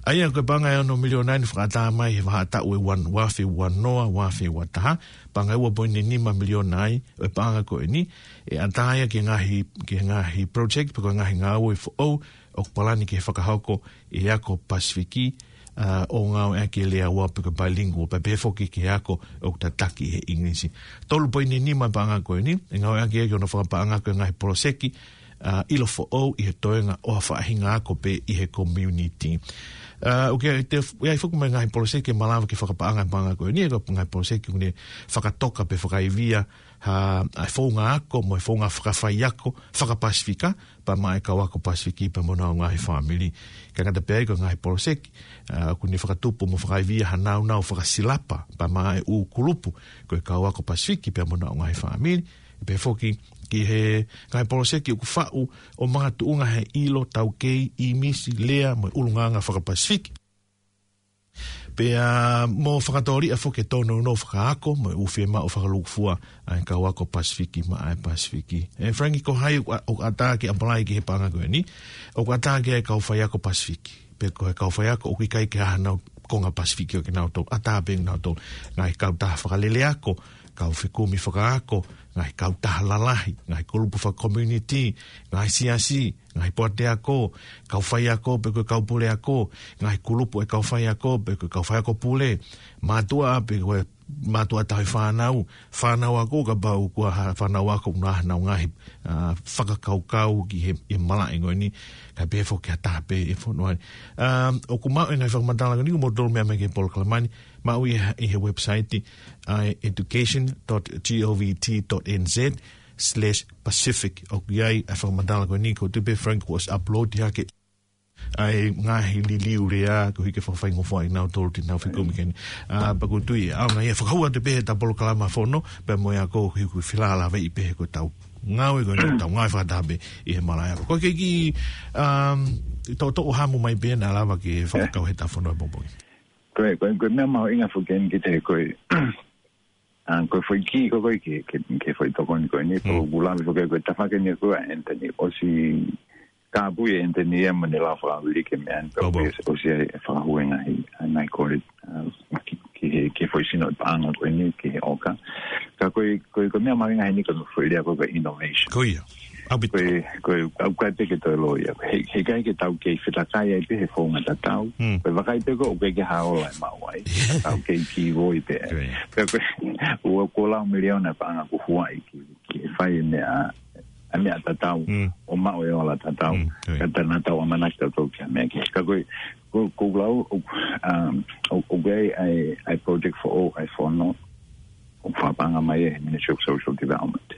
ʻA ia ko e paʻanga ʻe ono miliona ʻeni fakaʻatā mai he vahaʻa taʻu ʻe ua, ua afe ua noa, ua afe ua taha, paʻanga ʻe ua poini nima miliona ai, ʻo e paʻanga ko eni, ʻe ʻatā ia ki he ngaahi, ki he ngaahi project, pe ko e ngaahi ngāue foʻou, ʻoku palani ke fakahoko ʻi he ako Pasifiki, ʻa, ʻo ngāueʻaki e lea ua pe ko e bilingual, pea pehē foki ki he ako ʻoku tataki he ʻIngilisi. Tolu poini nima paʻanga ko eni, ʻe ngāueʻaki ia ki hono fakapaʻanga ko e ngaahi poloseki, ʻa, ʻilo foʻou ʻi he toenga ʻo ha faʻahinga ako pē ʻi he community. ʻA, ʻoku ʻi ai te, ʻi ai foki mo e ngaahi poloseki ʻe malava ke fakapaʻanga paʻanga ko eni, ʻa e ngaahi poloseki ʻoku ne fakatoka pe fakaivia ha, ʻa e founga ako mo e founga fakafaiako, faka-Pasifika, pea maʻa e kau ako Pasifiki pea mo honau ngaahi fāmili. Kae ʻikai ngata pē ai ko e ngaahi poloseki, ʻa, ʻoku ne fakatupu mo fakaivia ha nāunau fakasilapa, pea maʻa e ʻū kulupu, ko e kau ako Pasifiki pea mo honau ngaahi fāmili. Pehē foki ki he ngaahi poloseki ʻoku faʻu ʻo makatuʻunga he ʻilo, taukei, ʻīmisi, lea, mo e ʻulungaanga faka-Pasifiki. Pea mo fakatōliʻa foki e tōnounou fakaako, mo e ʻū fiemaʻu fakalūkufua ʻa e kau ako Pasifiki maʻa e Pasifiki. ʻE Frank, ko hai ʻoku ʻa-, ʻoku ʻatā ke apply ki he paʻanga ko eni, ʻoku ʻatā ki ai e kau faiako Pasifiki. Pe ko e kau faiako ʻoku ʻikai ke ʻi ai hanau konga Pasifiki ʻo kinautolu, ʻatā pē kinautolu. Ngaahi kautaha fakalele ako, kau fekumi fakaako, ngaahi kautaha lalahi, ngaahi kulupu faka-community, ngaahi siasi, ngaahi poate ako, kau faiako pe ko e kau pule ako, ngaahi kulupu e kau faiako pe ko e kau faiako pule, mātuʻa pe ko e mātuʻa tauhi fānau, fānau ako kapau kuo ha fānau ako ʻoku nau ʻi ai hanau ngaahi, ʻa, fakakaukau ki he, he malaʻe ko eni, kae pehē foki ha taha pē ʻi he fonua ni. ʻA, ʻoku maʻu e ngaahi fakamatala ko eni, ko e moutolu meʻa mai ki he polokalama ni, maʻu ʻi he, ʻi he website, ʻa, education dot govt dot nz slash Pacific. ʻOku ʻi ai e fakamatala ko eni, ʻoku ou tui pē Frank kuo ʻosi upload hake ʻa e ngaahi liliu lea, koeʻuhi ke fakafaingofuaʻi kinautolu te nau fekumi ki ai. ʻA, pea ʻoku ou tui, ʻaonga ia fakahua atu pē he ta polokalama fono, pea mo e ako koeʻuhi ko e felālāveʻi pē he ko ʻetau ngāue ko eni, tau ngāue fakataha pē ʻi he malaʻe ako. Ko e kiʻi, um, toʻotoʻo hamu mai pē naʻa lava ke fakakau he ta fono e pongipongi. Ko e, ko e, ko e meʻa mahuʻinga foki eni ki he ko e, ʻA, ko e foʻi kī ko ē ki he, ki he, ki he foʻi tokoni ko eni, ko Mm. ʻeku lave foki ko e tafaʻaki eni ko ē ʻa Anthony, ʻosi kāpui ʻe Anthony ia mo ne lava fakavili ki he meʻa ni, Pau, pau. ʻosi, ʻosi ʻa e fakahū e ngaahi, ʻa e ngaahi kole, ʻa, ki, ki he, ki he foʻi sino paʻanga ko eni, ki he ʻoka. Ka ko e, ko e, ko e meʻa mahuʻinga heni ko e foʻi lea ko e, ko e innovation. Ko ia. ʻAupito. Ko e, ko e, ʻoku ʻikai pē ke toe loi ia. He, heʻikai ke tau kei fetakai ai pē he founga tatau. Mm. Ko e vakai pē ko ē ʻoku ʻikai ke ha ola ʻe maʻu ai. Tau kei kīvoi pē. Ko ia. Pea ko e, ua ko e lau miliona paʻanga kuo huaʻi ki, ki he fai e meʻa, ʻa e meʻa tatau, Mm. ʻo maʻu e ola tatau. Mm, ko ia. Ka ʻoku tau ʻamanaki tautolu ki ha meʻa kehe. Ka ko e, ko, ko e lau, ʻo, um, ʻo, ʻoku ʻi ai, ʻa e, ʻa e project foʻou, ʻa e fono, ʻoku fakapaʻanga mai ʻe he Ministry of Social Development.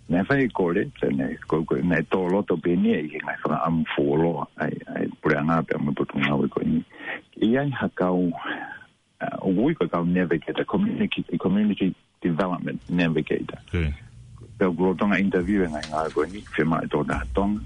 Naʻe fai e kole, te ne, ko, ko, naʻe tō loto pē eni ʻi he ngaahi fakaʻamu fuoloa, ʻa e, ʻa e puleʻanga pea mo e potungāue ko eni. ʻI ai ha kau, uh, ʻoku ui ko e kau navigator, community, community development navigator. Ko ia. Pea ʻoku lolotonga interview e ngaahi ngāue ko eni, fiemaʻu e tokotaha Tonga,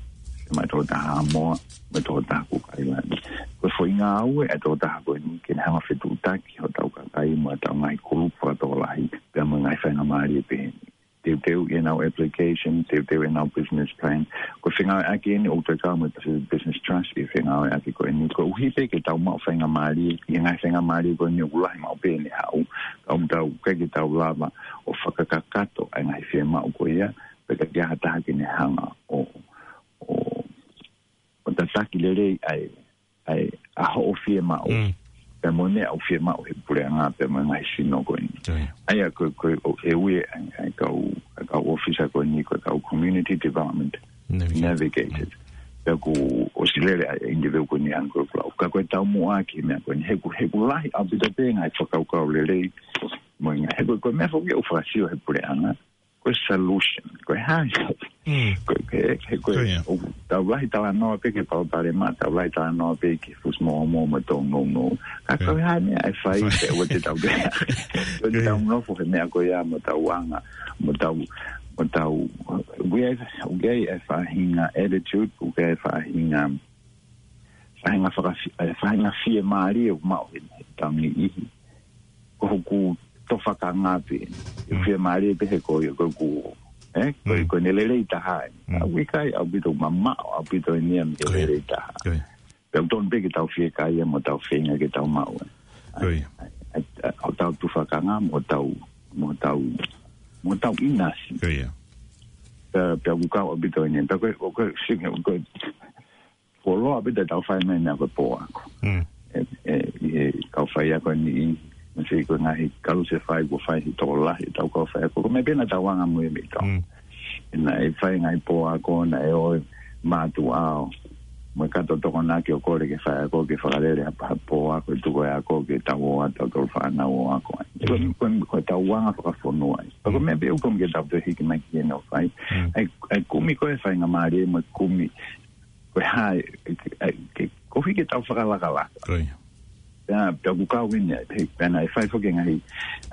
fiemaʻu e tokotaha Haʻamoa, mo e tokotaha Cook Island. Ko e foʻi ngāue ʻa e tokotaha ko eni, ke ne hanga ʻo fetuʻutaki hotau kakai mo ʻetau ngaahi kulupu fakatokolahi, pea mo e ngaahi faingamālie pehē ni. Teuteu ʻenau application, teuteu ʻenau business plan. Ko e fengāueʻaki eni ʻoku toe kau mo e Pacific Business Trust ʻi he fengāueʻaki ko eni. Koeʻuhi pē ke tau maʻu faingamālie, ʻi he ngaahi faingamālie ko eni ʻoku lahi maʻu pē ʻene haʻu. Ka ʻoku tau, ʻikai ke tau lava ʻo fakakakato ʻa e ngaahi fiemaʻu ko ia, pea ʻikai ke ʻi ai ha taha ke ne hanga ʻo, ʻo, ʻo tataki lelei ʻa e, ʻa e, ʻa hoʻo fiemaʻu. Mm. Pea mo e meʻa ʻoku fiemaʻu he puleʻanga, pea mo e ngaahi sino ko eni. Ko ia. ʻA ia ko, ko, ʻo, ʻe ui ʻa e, ʻa e kau, ʻa e kau ʻōfisa ko eni, ko e kau community development Navigator. Navigators. Pea kuo ʻosi lele ʻa e interview ko eni ʻa e kau lau. Ka ko e taumuʻa ki he meʻa ko eni. He ʻoku, he ʻoku lahi ʻaupito pē ngaahi fakakaukau lelei. Mo e ngaahi, he ko e, ko e meʻa foki ʻoku fakasio he puleʻanga. Ko e solution. Ko e hā. Mm. Ko e, he, he ko e, Ko ia. ʻoku tau lahi talanoa pē ki he palopalema, tau lahi talanoa pē ki he fusi moʻomoʻo mo e tōnounou. Ka Ko ia. ko e hā e meʻa ʻe fai Fai. pē ʻoua te tau pē. Ko Ko ia. tau nofo he meʻa ko ia mo tau anga, mo tau, mo tau, ʻoku ʻi ai, ʻoku ʻi ai e faʻahinga attitude, ʻoku ʻi ai e faʻahinga, faʻahinga fakafi-, e faʻahinga fiemālie ʻoku maʻu he, he taimi ʻe niʻihi. Ko hoku tofakanga pē. Mm. Fiemālie pē he ko ia, ko ʻeku, eh, ko, Mm. ko ʻene lelei taha ē. Mm. ʻOku ʻikai ʻaupito mamaʻo, ʻaupito eni ia mei he Ko ia. lelei taha. Ko ia. Pea ʻoku totonu pē ke tau fiekaia ia mo tau feinga ke tau maʻu ē. Ko ia. ʻA, ʻa, ʻa, hotau tufakanga, mo hotau, mo hotau, mo hotau ʻinasi. Ko ia. Pea, pea ʻoku kau ʻaupito eni. Pea ko e, ko e, sing, ko e, fuoloa ʻaupito ʻetau fai mai e meʻa ko e pō ako. Mm. ʻE, ʻe, ʻi he kau faiako ni, mo e ko e ngaahi kalusefai kuo fai he tokolahi ʻetau kau faiako. Ko e meʻa pē naʻa tau anga muimui ai. Mm. Naʻe fai e ngaahi pō ako, naʻe ō e mātuʻa ʻo, mo e kato Tokonaki ʻo kole ke faiako, ke fakalele ha, ha pō ako, ʻe tuku e ako, ke tau ō atu, tautolu fānau ʻo ako ai. Ko, Mm. ko, ko ʻetau anga fakafonua ia. Ko e Mm. meʻa pē ʻoku totonu ke tau toe hiki mai ki heni ʻo fai. Mm. ʻA e, ʻa e kumi ko ē faingamālie mo e kumi ko e hā e, e, e, ke, koeʻuhi ke tau fakalakalaka. Ko ia. Pea, pea ʻoku kau eni, he, pea naʻe fai foki e ngaahi,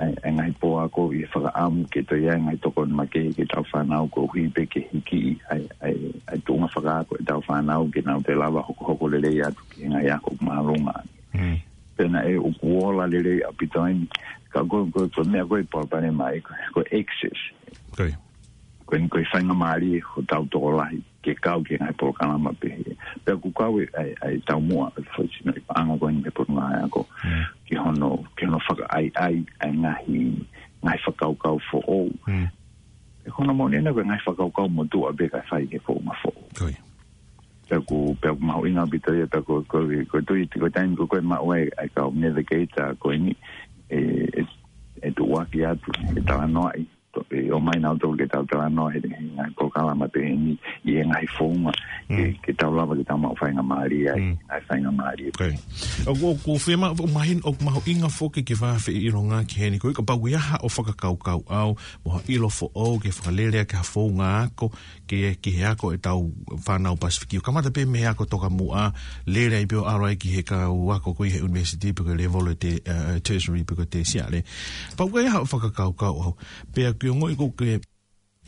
e, e ngaahi pō ako ʻi he fakaʻamu ke toe ʻi ai e ngaahi tokoni makehe ki heʻetau fānau koeʻuhi pē ke hiki ʻa e, ʻa e, ʻa e tuʻunga fakaako ʻetau fānau ke nau toe lava hokohoko lelei atu ki he ngaahi ako māʻolunga. Mm. Pea naʻe ʻoku ola lelei ʻaupito eni. Ka ko, ko, ko e meʻa ko e palopalema ia ko, ko e access. Ko ia. Ko eni ko e faingamālie hotau tokolahi ke kau ki he ngaahi polokalama pehē. Pea ʻoku kau e, ʻa e, ʻa e taumuʻa, ʻa e foʻi sino ʻi paʻanga ko eni mei he Potungāue Ako. Mm. Ki hono, ki hono fakaʻaiʻai, ʻa e ngaahi, ngaahi fakakaukau foʻou. Mm. ʻE hono moʻoni ena ko e ngaahi fakakaukau motuʻa pē ka fai ki he founga foʻou. Ko ia. Pea ʻoku, pea ʻoku mahuʻinga ʻaupito ia, pea ko, ko, ko e tui, ko e taimi ko ē ʻoku maʻu ai ʻa e kau navigator ko eni, ʻe, ʻe, ʻe tuʻuaki atu, ʻe talanoaʻi, to-, ʻe ō mai nautolu ke tau talanoa he, he ngaahi polokalama pehē ni, ʻi he ngaahi founga, ke, Mm. ke tau lava ke tau maʻu faingamālie ai, Mm. ngaahi faingamālie. Ko ia. ʻOku, ʻoku fiemaʻu, ʻoku mahino, ʻoku mahuʻinga foki ke fai ha feʻilongaki heni, ko ia kapau ʻoku ʻi ai haʻo fakakaukau ʻaʻau, mo ha ʻilo foʻou ke fakalele ʻaki ha founga ako, ki, ki he ako ʻetau fānau Pasifiki. ʻO kamata pē mei he ako tokamuʻa, lele ai pē ʻo ʻalu ai ki he kau ako ko ia he university pe ko e level ʻo e te-, eh, tertiary pe ko e tesiale. Pea ʻoku ʻi ai haʻo fakakaukau ʻaʻau. Pea ʻoku ou ongoʻi ʻoku ke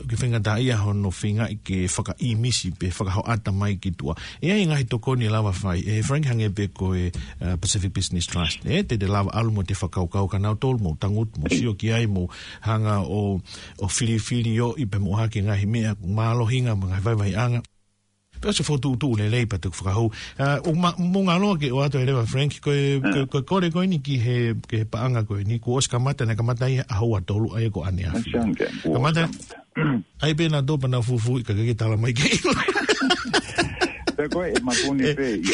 ke faingataʻaʻia hono feingaʻi ke fakaʻīmisi pe fakahoʻata mai ki tuʻa. ʻE ʻi ai e ngaahi tokoni ʻe lava fai, ʻe Frank, hangē pē ko e, uh, Pacific Business Trust. ʻE, te te lava ʻalu mo te fakakaukau kia nautolu, mou tangutu, mou sio ki ai, mou hanga ʻo, ʻo filifili ʻo ʻi pē mo hake ngaahi meʻa mālohinga mo e ngaahi vaivaiʻanga. Pea ʻosi fokotuʻutuʻu lelei pea te u fakahū. Uh, ʻo ma-, mou ngalo ke ʻoatu e leva, Frank, ko e, ko e, ko e kole ko eni ki he, ki he paʻanga ko eni, kuo ʻosi kamata, naʻe kamata ʻi he ʻaho ua tolu, ʻa ia ko ʻaneafi. Kamata. ʻAi pē nautolu pea nau fufuuʻi ka ke tala mai ke ʻilo. Pea ko e makuni pē ʻi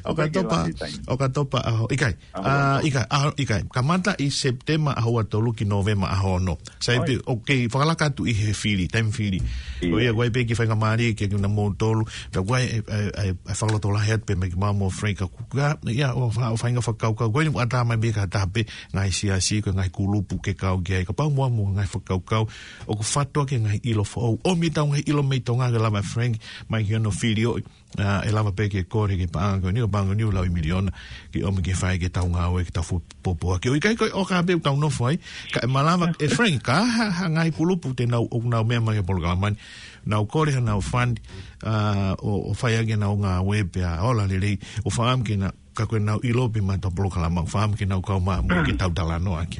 ʻOkatopa. ʻOkatopa ʻaho. ʻIkai. ʻAho ua tolu. ʻIkai, ʻaho, ʻikai. Kamata ʻi Sepitema ʻaho ua tolu ki Nōvema ʻaho ono. Sai pē, ʻoku kei fakalaka atu ʻi he fili, taimi fili. ʻIo. ʻOku ʻi ai pē ki he faingamālie ke kina mou tolu. Pea ʻoku ʻi ai e, e, e, e fakalotolahi atu pē mai ki mau mo Frank ka kuka. ʻIa, ʻo fa-, ʻo feinga fakakaukau. Ko eni ʻoku ʻatā mai pē ka taha pē ngaahi siasi, ko e ngaahi kulupu ke kau ki ai. Kapau mo mo ngaahi fakakaukau. ʻOku fatu ake ngaahi ʻilo foʻou. ʻOmi ʻetau ngaahi ʻilo mei Tonga ke lava Frank, mai ki hono fili ʻo, ʻa, ʻe lava pē ke kole ki he paʻanga ko eni, ko e paʻanga ko eni ʻoku lau ʻi miliona, ke ʻomi ke fai ke tau ngāue, ke tau fu-, pōpoaki. ʻOku ʻikai ko e ʻoka pē ʻoku tau nofo ai, ka ʻe malava, ʻe Frank, ka ha, ha ngaahi kulupu te nau, ʻoku nau meʻa mai ki he polokalama ni, nau kole hanau fund, ʻa, ʻo, ʻo fai ake ʻenau ngāue pea ola lelei, ʻo fakaʻamu ke na, ka ko ʻenau ʻilo pē maʻa ʻetau polokalama, ʻo fakaʻamu ke nau kau mai mo ke tau talanoa ʻaki.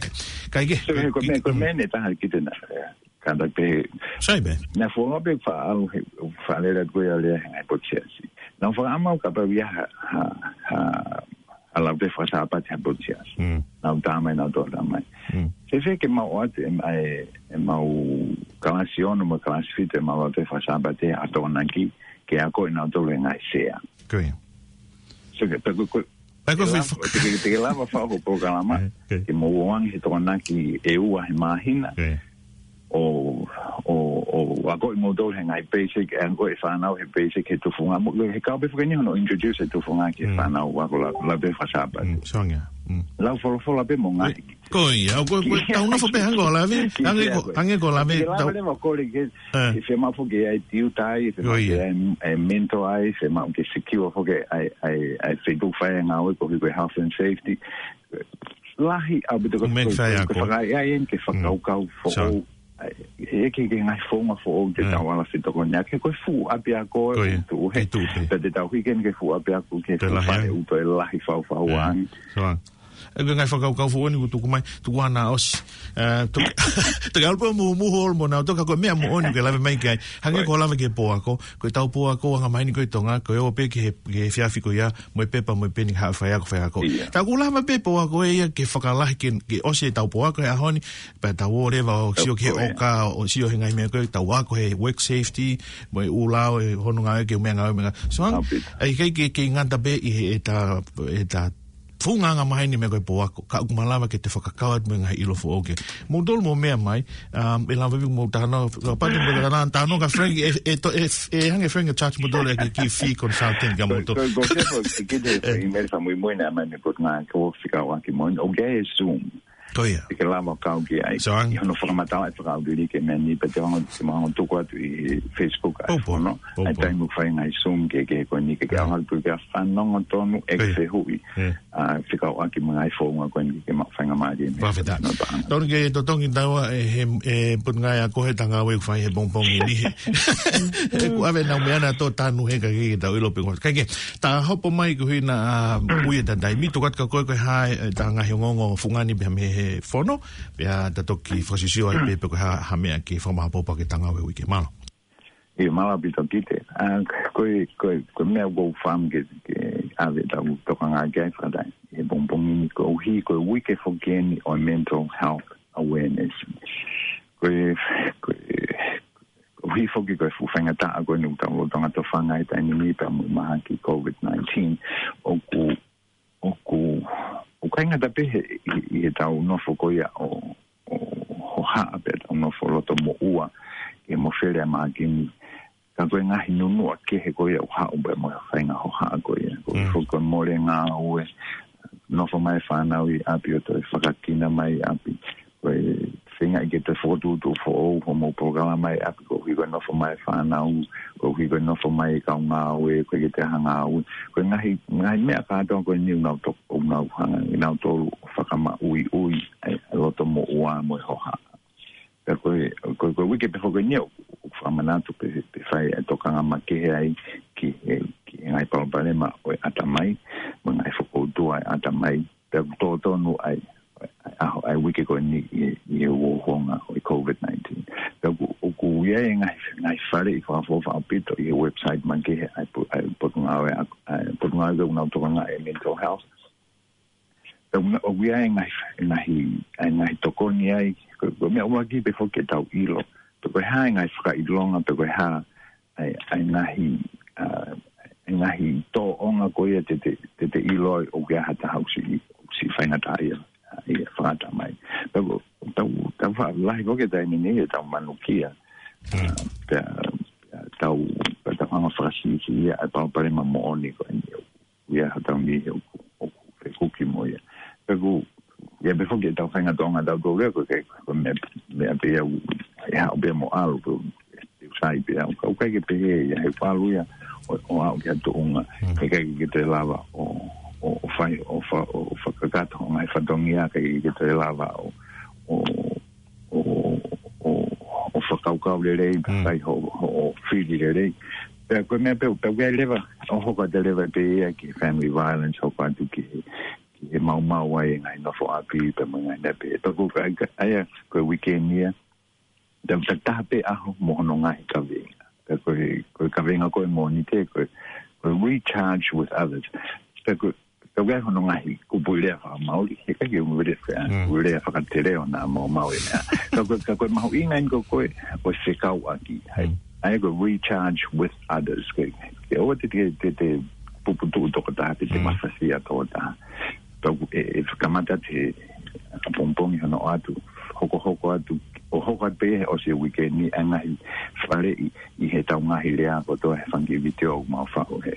Kae kehe, So, he ko e meʻa, ko e meʻa ʻe taha ki te na, ʻe, ka ta pehē. Sai pē. Na fua pē faʻalu he, faʻalele atu ko ia lea he ngaahi potu siasi. Na fakaʻamu kapau ʻe ʻi ai ha, ha, ha, ha lau te fakasāpate ha potu siasi. Mm. Nau tā mai, nau tō tā mai. Mm. Fēfē ke mau ʻoatu e, e, ʻemau kalasi ono mo e kalasi fitu ʻemau lau te fakasāpate ʻa Tokonaki ke ako ʻe nautolu e ngaahi sea. Ko ia. So ke, pe ko, ko, Pe ko te lava, fif- te ke, te ke lava fai ho polokalama, Eh, okay. ke mou ō ange he Tokonaki ʻe ua he māhina, Okay. ʻo, ʻo, ʻo akoʻi moutolu he ngaahi basic, ʻe akoʻi e fānau he basic he tufunga. Mo, he kau pē fakani hono introduce e tufunga ki he Mm. fānau ʻo ako lau, lau te fakasāpate. Mm, soangia. Mm. Lau folofola pē mo ngaahi. Ko ia, ʻo ko, ko, tau nofo pē hangē ko Lave, Ki hangē ko, hangē ko Lave, Ki Lave tau leva ko le ke, Eh. ke fiemaʻu foki ʻe ʻi ai e tiuta ai, Ko fiemaʻu ia. ke ʻi ai e, e mentor ai, fiemaʻu ke secure foki ʻa e, ʻa e, ʻa e feituʻu fai e ngāue koeʻuhi ko e health and safety. Lahi ʻaupito ko Make ko, fai ko, ako. ko fakaʻaiʻai eni ke Mm. fakakaukau foʻou. Sure. ʻA e, he ke, ke ngaahi founga foʻou te Eh. tau ala fetokoniʻaki, ko e fuʻu ʻapiako Ko ia. ʻoku tuʻu he. ʻOku tuʻu he. Pea te tau hiki eni ki he fuʻu ʻapiako ki he Te fuʻu lahi fale ai. ʻoku toe lahi fau fau Eh. ange. Sure. ʻE, ko e ngaahi fakakaukau foʻou ni kuo tuku mai, tuku ʻana ʻosi. ʻE, tuku, tuku ʻalu pē ʻo muhumuhu ʻo ʻalu mo nautolu ka ko e meʻa moʻoni ke lave mai ki ai. Hangē Right. ko Lave ki he pō ako, ko ʻetau pō ako anga maheni ko ē ʻi Tonga, ko e ō pē ki he, ki he efiafi ko ia, mo e pepa, mo e peni, haʻu faiako, faiako. Ia. Ka ʻoku lava pē pō ako ʻe ia ke fakalahi ke, ke ʻosi ʻetau pō ako he ʻaho ni, pea tau ō leva ʻo sio ki he Ko ia. ʻoka, ʻo sio he ngaahi meʻa ko ē, tau ako he work safety, mo e ʻū lao, ʻe hono ngāue ke meʻangāue, meʻangāue. So, ʻAupito. ʻe ʻikai ke, ke ngata pē ʻi he, ʻeta, ʻeta funga anga maheni meʻa ko e pō ako, ka ʻoku malava ke te fakakau atu mo e ngaahi ʻilo foʻou ke. Moutolu mou meʻa mai, um, ʻe lava pē mou talanoa, kapau te mou talanoa, talanoa kia Frank, ʻe, ʻe to-, ʻe, ʻe hanga ʻe Frank ʻo charge moutolu ʻaki e kiʻi fee consulting kia Ko, moutolu. ko, ko, ko, ko, ko, ko, email sa muimui na mai me pot nga ko fika wa ki mo, okay, Zoom. Ko ia. Te ke lava kau ki ai. So, ang- ʻI hono fakamatala e fakaʻauliliki e meʻa ni, pea te hanga, te hanga tuku atu ʻi Facebook ʻa e Pau, pau. fono. Pau, ʻA e pau. taimi ʻoku fai ngaahi Zoom ke, ke ko eni ke, ke Ia. ʻalu atu ke fanongo tonu e Ia. fehuʻi. Ia. ʻA, fekauʻaki mo e ngaahi founga ko eni ke maʻu faingamālie mei Fakafetaʻi. no paʻanga. Tonu ke totongi taua e he, e Potungāue Ako he ngāue ʻoku fai he pongipongi ni he. He kuo ʻave ʻenau meʻa na tō tanu he ka ke tau ʻilo pē ko. Kae kehe, ta hopo mai ko hina, ʻa, ui e ta taimi, tuku atu kia koe ko e hā e, e ta ngaahi ongoongo fungani pea mei he fono, pea ta toki fakasisio ai pē pe ko e hā, ha meʻa ke fakamaʻopoʻopo ʻaki e ngāue uike. Mālō. ʻIo, mālō ʻaupito Kite. ʻA, ko e, ko e, ko e meʻa ʻoku ou fakaʻamu ke, ke ʻave ʻetau tokanga ki ai fakataha. He pongipongi ni koeʻuhi, ko e uike foki eni ʻo e mental health awareness. Ko e, ko e, koeʻuhi foki ko e fuʻu faingataʻa ko eni ʻoku tau lolotonga tofanga he taimi ni pea mo e mahaki COVID nineteen. ʻOku, ʻoku, ʻoku ʻikai ngata pē he, ʻi, ʻi heʻetau nofo ko ia ʻo, ʻo hohaʻa pea tau nofo loto moʻua ke mofele ʻa e mahaki ni. Ka ko e ngaahi nunuʻa kehe ko ia ʻoku haʻu pē mo e faʻahinga hohaʻa ko ia. Ko e Mm. foki ko e mole ngāue, nofo mai e fānau ʻi ʻapi ʻo toe fakakina mai ʻapi. Ko e feingaʻi ke toe fokotuʻutuʻu foʻou hoʻomou polokalama ʻi ʻapi koeʻuhi ko e nofo mai e fānau, koeʻuhi ko e nofo mai e kau ngāue, ko e ke te hanga ngāue. Ko e ngaahi, ngaahi meʻa kātoa ko eni ʻoku nau toko, ʻoku nau hanga, ʻi nautolu ʻo fakamaʻuiʻui, ʻa e, ʻa e loto moʻua mo e hohaʻa. Pea ko e, ko e, ko e uike pē foki eni ʻoku, ʻoku fakamanatu pē, pē fai e tokanga makehe ai ki he, ki he ngaahi palopalema ʻo e ʻatamai, mo e ngaahi fokoutua ʻo e ʻatamai. Pea ʻoku tō tonu ai, ʻa e, ʻa e uike ko eni ʻi, ʻi he uouonga ʻo e COVID nineteen. Pea ʻoku, ʻoku ʻi ai e ngaahi, ngaahi faleʻi fakaʻofoʻofa ʻaupito ʻi he website makehe ʻa e po-, ʻa e potungāue, ʻa e potungāue ʻoku nau tokangaʻi e mental health. Pea ʻoku, ʻoku ʻi ai e ngaahi, e ngaahi, e ngaahi tokoni ai, ko, ko e meʻa ʻuluaki pē foki ke tau ʻilo. Pe ko e hā e ngaahi fakaʻilonga, pe ko e hā e, e ngaahi, ʻa, e ngaahi tōʻonga ko ia te te, te te ʻilo ai ʻoku ʻi ai ha taha ʻoku siʻi, ʻoku siʻi faingataʻaʻia, ʻa, ʻi he fakaʻatamai. Pea ko, tau, tau faʻa lahi foki he taimi ni, he tau manukia. Mm. ʻA, pea, pea tau, pea tau hanga ʻo fakasiʻisiʻi ʻa e palopalema moʻoni ko eni ʻoku ʻi ai hotau niʻihi ʻoku, ʻoku fekuki mo ia. Pea ʻoku ʻi ai pē foki ʻetau faʻahinga tōʻonga ʻatautolu ia ko e, ko e meʻa, meʻa pē ia ʻoku, ʻe haʻu pē mo ʻalu pē, ʻe sai pē au. Ka ʻoku ʻikai ke pehē ia, he ʻoku ʻalu ia ʻo, ʻo aʻu ki ha tuʻunga. Mm. He ʻikai ke toe lava ʻo, ʻo, ʻo fai, ʻo fa-, ʻo fakakakato hoʻo ngaahi fatongia, ʻikai ke toe lava ʻo, ʻo, ʻo, ʻo, ʻo fakakaukau lelei, Mm. fai ho, ho, ho fili lelei. Pea ko e meʻa pē, pea ʻoku ʻi ai leva, ʻo hoko atu leva pē ia ki he family violence, hoko atu ki he, ki he maumau ai e ngaahi nofo ʻapi, pea mo e ngaahi meʻa pehē. Pea ko e, ka, ʻa ia, ko e weekend ia, tau ta taha pē ʻaho mo hono ngaahi kavenga. Pea ko e, ko e kavenga ko e Mōnite, ko e, ko e recharge with others. Pea ko e, ka ʻoku ʻi ai hono ngaahi kupuʻi lea fakamaoli, he ʻikai ke u lea faka-, Mm. u lea fakateleo naʻa maumau e meʻa. Ka ko e, ka ko e mahuʻinga eni ko e, ko e fekauʻaki. Hai. Mm. ʻA ia ko e recharge with others. Ke, ke ʻoua te te, te, te puputuʻu tokotaha, te te Mm. mafasia tokotaha. Pea ʻoku, ʻe, ʻe kamata atu he ʻapongipongi hono ʻoatu, hokohoko atu, ʻo hoko atu pē he ʻosi e weekend ni, ʻa e ngaahi faleʻi ʻi heʻetau ngaahi lea kotoa he fanga kiʻi vitiō ʻoku mau faʻu he,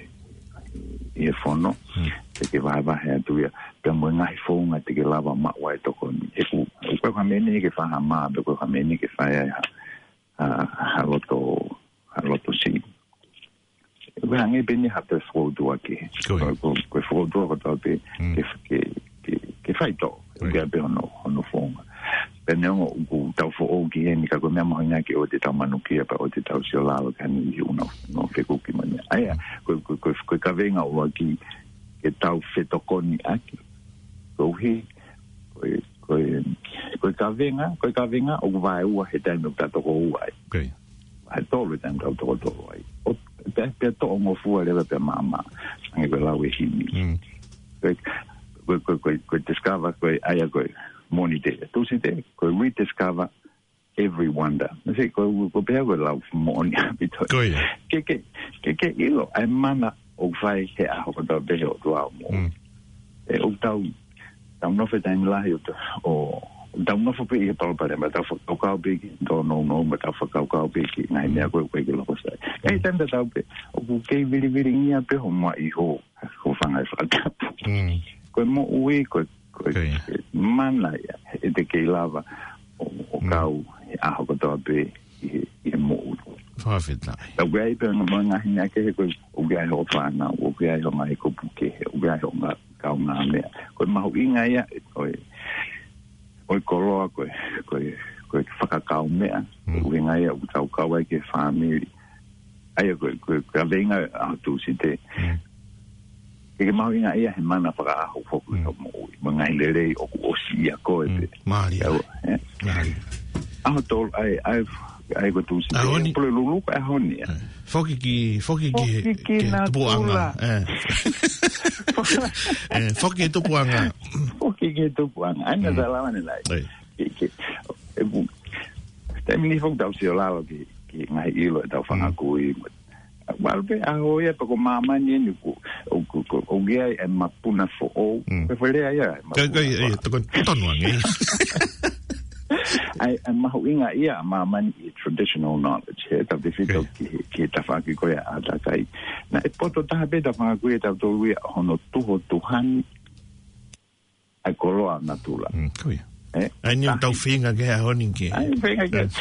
ʻi he fono. Mm. Te ke vahevahe atu ia, pea mo e ngaahi founga te ke lava maʻu ai e tokoni. He ʻoku, ʻoku ʻikai ko ha meʻa ni ke fai ha mā, pe ko ha meʻa ni ke fai ai ha, ha, ha loto, ha loto siʻi. ʻOku hangē pē eni ha toe fokoutua kehe. Ko ia. Ko, ko, ko e fokoutua kotoa pē Mm. ke, ke, ke, ke faitoʻo. Ko ia. ʻOku ʻi ai pē hono, hono founga. Pea neongo ʻoku tau foʻou ki heni ka ko e meʻa mahuʻinga ke ʻoua te tau manukia pea ʻoua te tau siolalo ki ha niʻihi ʻoku nau, nau fekuki mo e meʻa. ʻA ia, Mm. ko, ko, ko, ko e kavenga ʻuluaki ke tau fetokoniʻaki. Koeʻuhi, ko e, ko e, ko e kavenga, ko e kavenga ʻoku vaeua he taimi ʻoku tau toko ua ai. Ko ia. Vahe tolu he taimi ʻoku tau toko tolu ai. ʻO, pea, pea toʻongofua leva pea maama. Hangē ko e lau e himi. Mm. Ko e, ko e, ko e, ko e, ko e discover, ko e, ʻa ia ko e Mōnite. Tūsite, ko e rediscover every wonder. Mese, ko, ko pea ko e lau moʻoni ʻaupito. Ko ia. Ke, ke, ke, ke ʻilo, ʻa e mana ʻoku fai he ʻaho kotoa pē he ʻOtua ʻoku mou. Mm. ʻE, ʻoku tau, tau nofo he taimi lahi ʻo, ʻo, tau nofo pē ʻi he palopalema, tau fakakaukau pē ki he tōnounou, mo tau fakakaukau pē ki he ngaahi meʻa ko ē ʻoku ʻikai ke loko sai. ʻI he taimi tatau pē, ʻoku kei vilivilingia pē ho maʻi ho, ho fanga ʻi he fakatapu. Mm. Ko e moʻui, ko e, ko e, Ko ia. ko e mana ia, ʻe te kei lava ʻo, ʻo Mm. kau he ʻaho kotoa pē ʻi he, ʻi he moʻui. Fakafetaʻi. Ka ʻoku ʻi ai pē mo e ngaahi meʻa kehe ko ē, ʻoku ʻi ai hoʻo fānau, ʻoku ʻi ai hoʻo ngaahi kupu kehe, ʻoku ʻi ai hoʻo ngaahi kaungāmeʻa. Ko e mahuʻinga ia, ko e, ko e koloa, ko e, ko e, ko e fakakaumeʻa, Mm. ko e ʻuhinga ia ʻoku tau kau ai ki he fāmili. ʻA ia ko e, ko e, ko e kavenga ʻaho Tūsite. Mm. Ke ke mahuʻingaʻia he mana fakaʻaho foki Mm. ʻo moʻui. Mo e ngaahi lelei ʻoku ʻosi ʻia koe Mm. pē. Mālie. ʻIo, ē? Mālie. ʻAho Tolu, ʻa ia, ʻa ia, ʻa ia ko Tūsite. ʻAho ni. Pule lulu ko e ʻaho ni, ē? Ē. Foki ki, foki ki he, Foki ki he natula. Tupuʻanga. Ē. Ē, foki ki he tupuʻanga. Foki ki he tupuʻanga. ʻA ia Mm. tā lava ne lai. Ē. Ke, ke, ʻe pu-, taimi ni foki tau siolalo ki, ki he ngaahi ʻilo ʻetau fanga Mm. kui. Walu pē ʻaho ia pē ko māmani eni ʻoku, ʻoku, ʻoku, ʻoku ʻi ai e mapuna foʻou. Mm. Ko e foʻi lea ia, e Ka, ka, mapuna ia, ia, foʻou. Toko, tonu ange. ʻA ia, ʻa e mahuʻinga ia ʻa māmani ʻi he traditional knowledge. He tau tefito Ko ia. ki he, ki he tafaʻaki ko ia ʻa e ʻātakai. Naʻe poto taha pē ʻetau fanga kui ʻe tautolu ia hono tuho tuhani ʻa e koloa natula. Mm, ko ia. Ē? ʻA ia ni Tahi. tau feinga ke ʻaho ni ke. ʻA ia, feinga ke. Yes.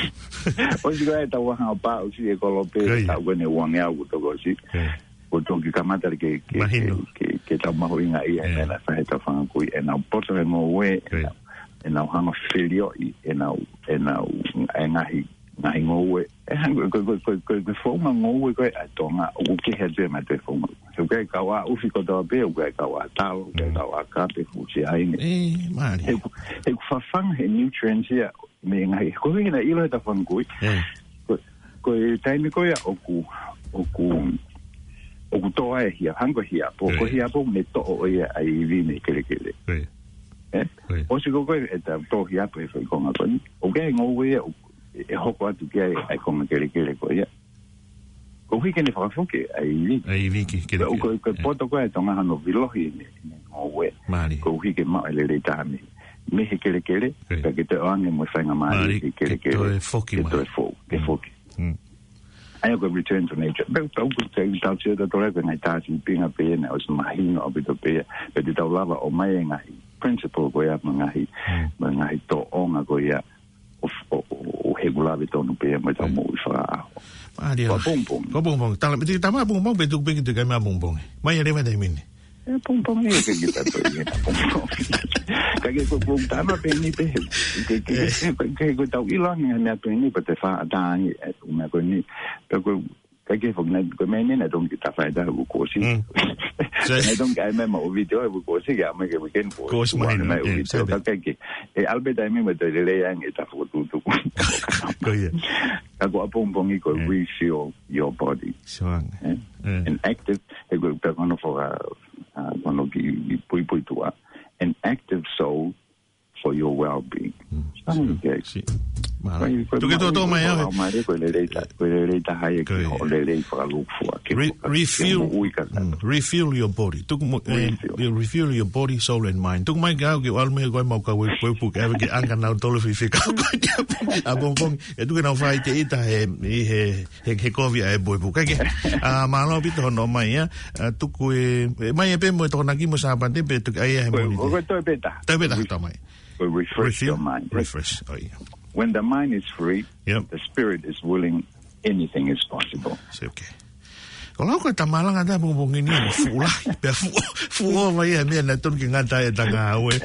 ʻOsi ko ē ʻetau ʻaho pā, ʻosi e kolo pē, Ko ia. tau kene uange au toko ʻosi. Ko ia. Ko toki kamata ke, ke, Mahino. ke, ke, ke tau mahuʻingaʻia, Ē. mena fahe tau fanga kui, ʻenau poto he ngoue, Ko ia. ʻenau ʻenau hanga ʻo filioʻi ʻenau, ʻenau, ʻa e ngaahi, ngaahi ngoue. ʻE hanga, ko, ko, ko, ko, ko e founga ngoue ko ē ʻa Tonga, ʻoku kehe atu ia mei he founga. He ʻoku ʻikai kau ʻa ʻufi kotoa pē, ʻoku ʻikai kau ʻa talo, ʻoku ʻikai kau ʻa kape, fusi ʻaine. ʻE, mālie. He ʻoku, he ʻoku fafanga he nutrients ia, mei he ngaahi, ko e ʻuhinga naʻe ʻilo he tafanga kui. ʻE. Ko, ko e taimi ko ia ʻoku, ʻoku, ʻoku toʻo ai e hia, hanga ko e hiapo, ko e hiapo ne toʻo ʻo ia ʻa e ivi mei he kelekele. ʻE. ʻE? ʻOsi ko ē, ʻe ta toʻo hiapo he foʻi konga ko eni. ʻOku ʻi ai e ngoue ia, ʻoku, ʻe hoko atu ki ai ʻa e konga kelekele ko ia. Koeʻuhi ke ne fakafoki ʻa e ivi. ʻA e ivi ki he kelekele. Ko, ko, ko e poto ko ē ʻa Tonga hono vilohi ʻene, ʻene ngoue. Mālie. Koeʻuhi ke maʻu e lelei taha mei, mei he kelekele, pea ke toe ʻoange mo e faingamālie ki he kelekele. Mālie, ke toe foki mai. Ke toe fo-, ke foki. ʻA ia ko e return to nature. Pea tau ku te tau sio tautolu ko e ngaahi tā sīpinga pē ia naʻe ʻosi mahino ʻaupito pē ia. Pea te tau lava ʻo ʻomai e ngaahi principle ko ia mo e ngaahi, mo e ngaahi tōʻonga ko ia ʻo, ʻo, ʻo, ʻo he kulave tonu pē ia mo e tau moʻui fakaʻaho. Mālie. Ko e pongipongi. Ko e pongipongi. Tala, piti tama pongipongi, pea tuku pē ki tuʻa mai pongipongi. Mai ʻa leva taimi ni. ʻE pongipongi ʻe ke kita to ia pongipongi. Ka ke ko, ko tama pē ni pē. Ke, ke, ke, ke, ke ko tau ʻilo ange mea pē ni pea te fa ata ange, ʻe, mea ko ni. Pea ko, ka ke fo na, ko mea ni naʻe tongi ta fai ta ko kosi. Naʻe tongi ai mea ma o video ko kosi ke ama ke weekend ko. Kosi mai, mai o video ka ke. ʻE Albert ai me ma te lele ange ta fokotuʻutuʻu. Ko ia. Ka ko e pongipongi ko refuel your body. Sure. ʻE? An active, he ko e pea kono foka, ʻa, kono ki, ki puipuituʻa. An active soul for your well-being. Sio, sio. Mālie. Tuku ke tō mai au. Mālie, ko e lelei ta, ko e lelei taha ia ki hoʻo lelei fakalūkufua, ke refuel, refuel your body. Tuku mo, ʻe, refuel your body, soul and mind. Tuku mai ke au ke ʻalu mei he ko e mau ka we, we puke, ʻave ke anga nau tolo fifi ka ko e ʻapongipongi. ʻE tuku ke nau fai te ita he, ʻi he, he, he kovi ʻa e boy puke. Ke, ʻa, mālō ʻaupito hono mai ia. ʻA, tuku e, ʻe mai ʻe pē mo e Tokonaki mo Sāpate pē tuku ai he moni. Ko, ko, ko e toe pē taha. Toe pē taha, tō mai. Will refresh your mind. Refresh. Oh, yeah. When the mind is free, the spirit is willing, anything is possible. Sio, okay. Ko lau ko e tamalanga ta pongipongi ni mo fuʻu lahi, pea fuʻu, fuʻu ova ia mea naʻe tonu ke ngata e tanga aue.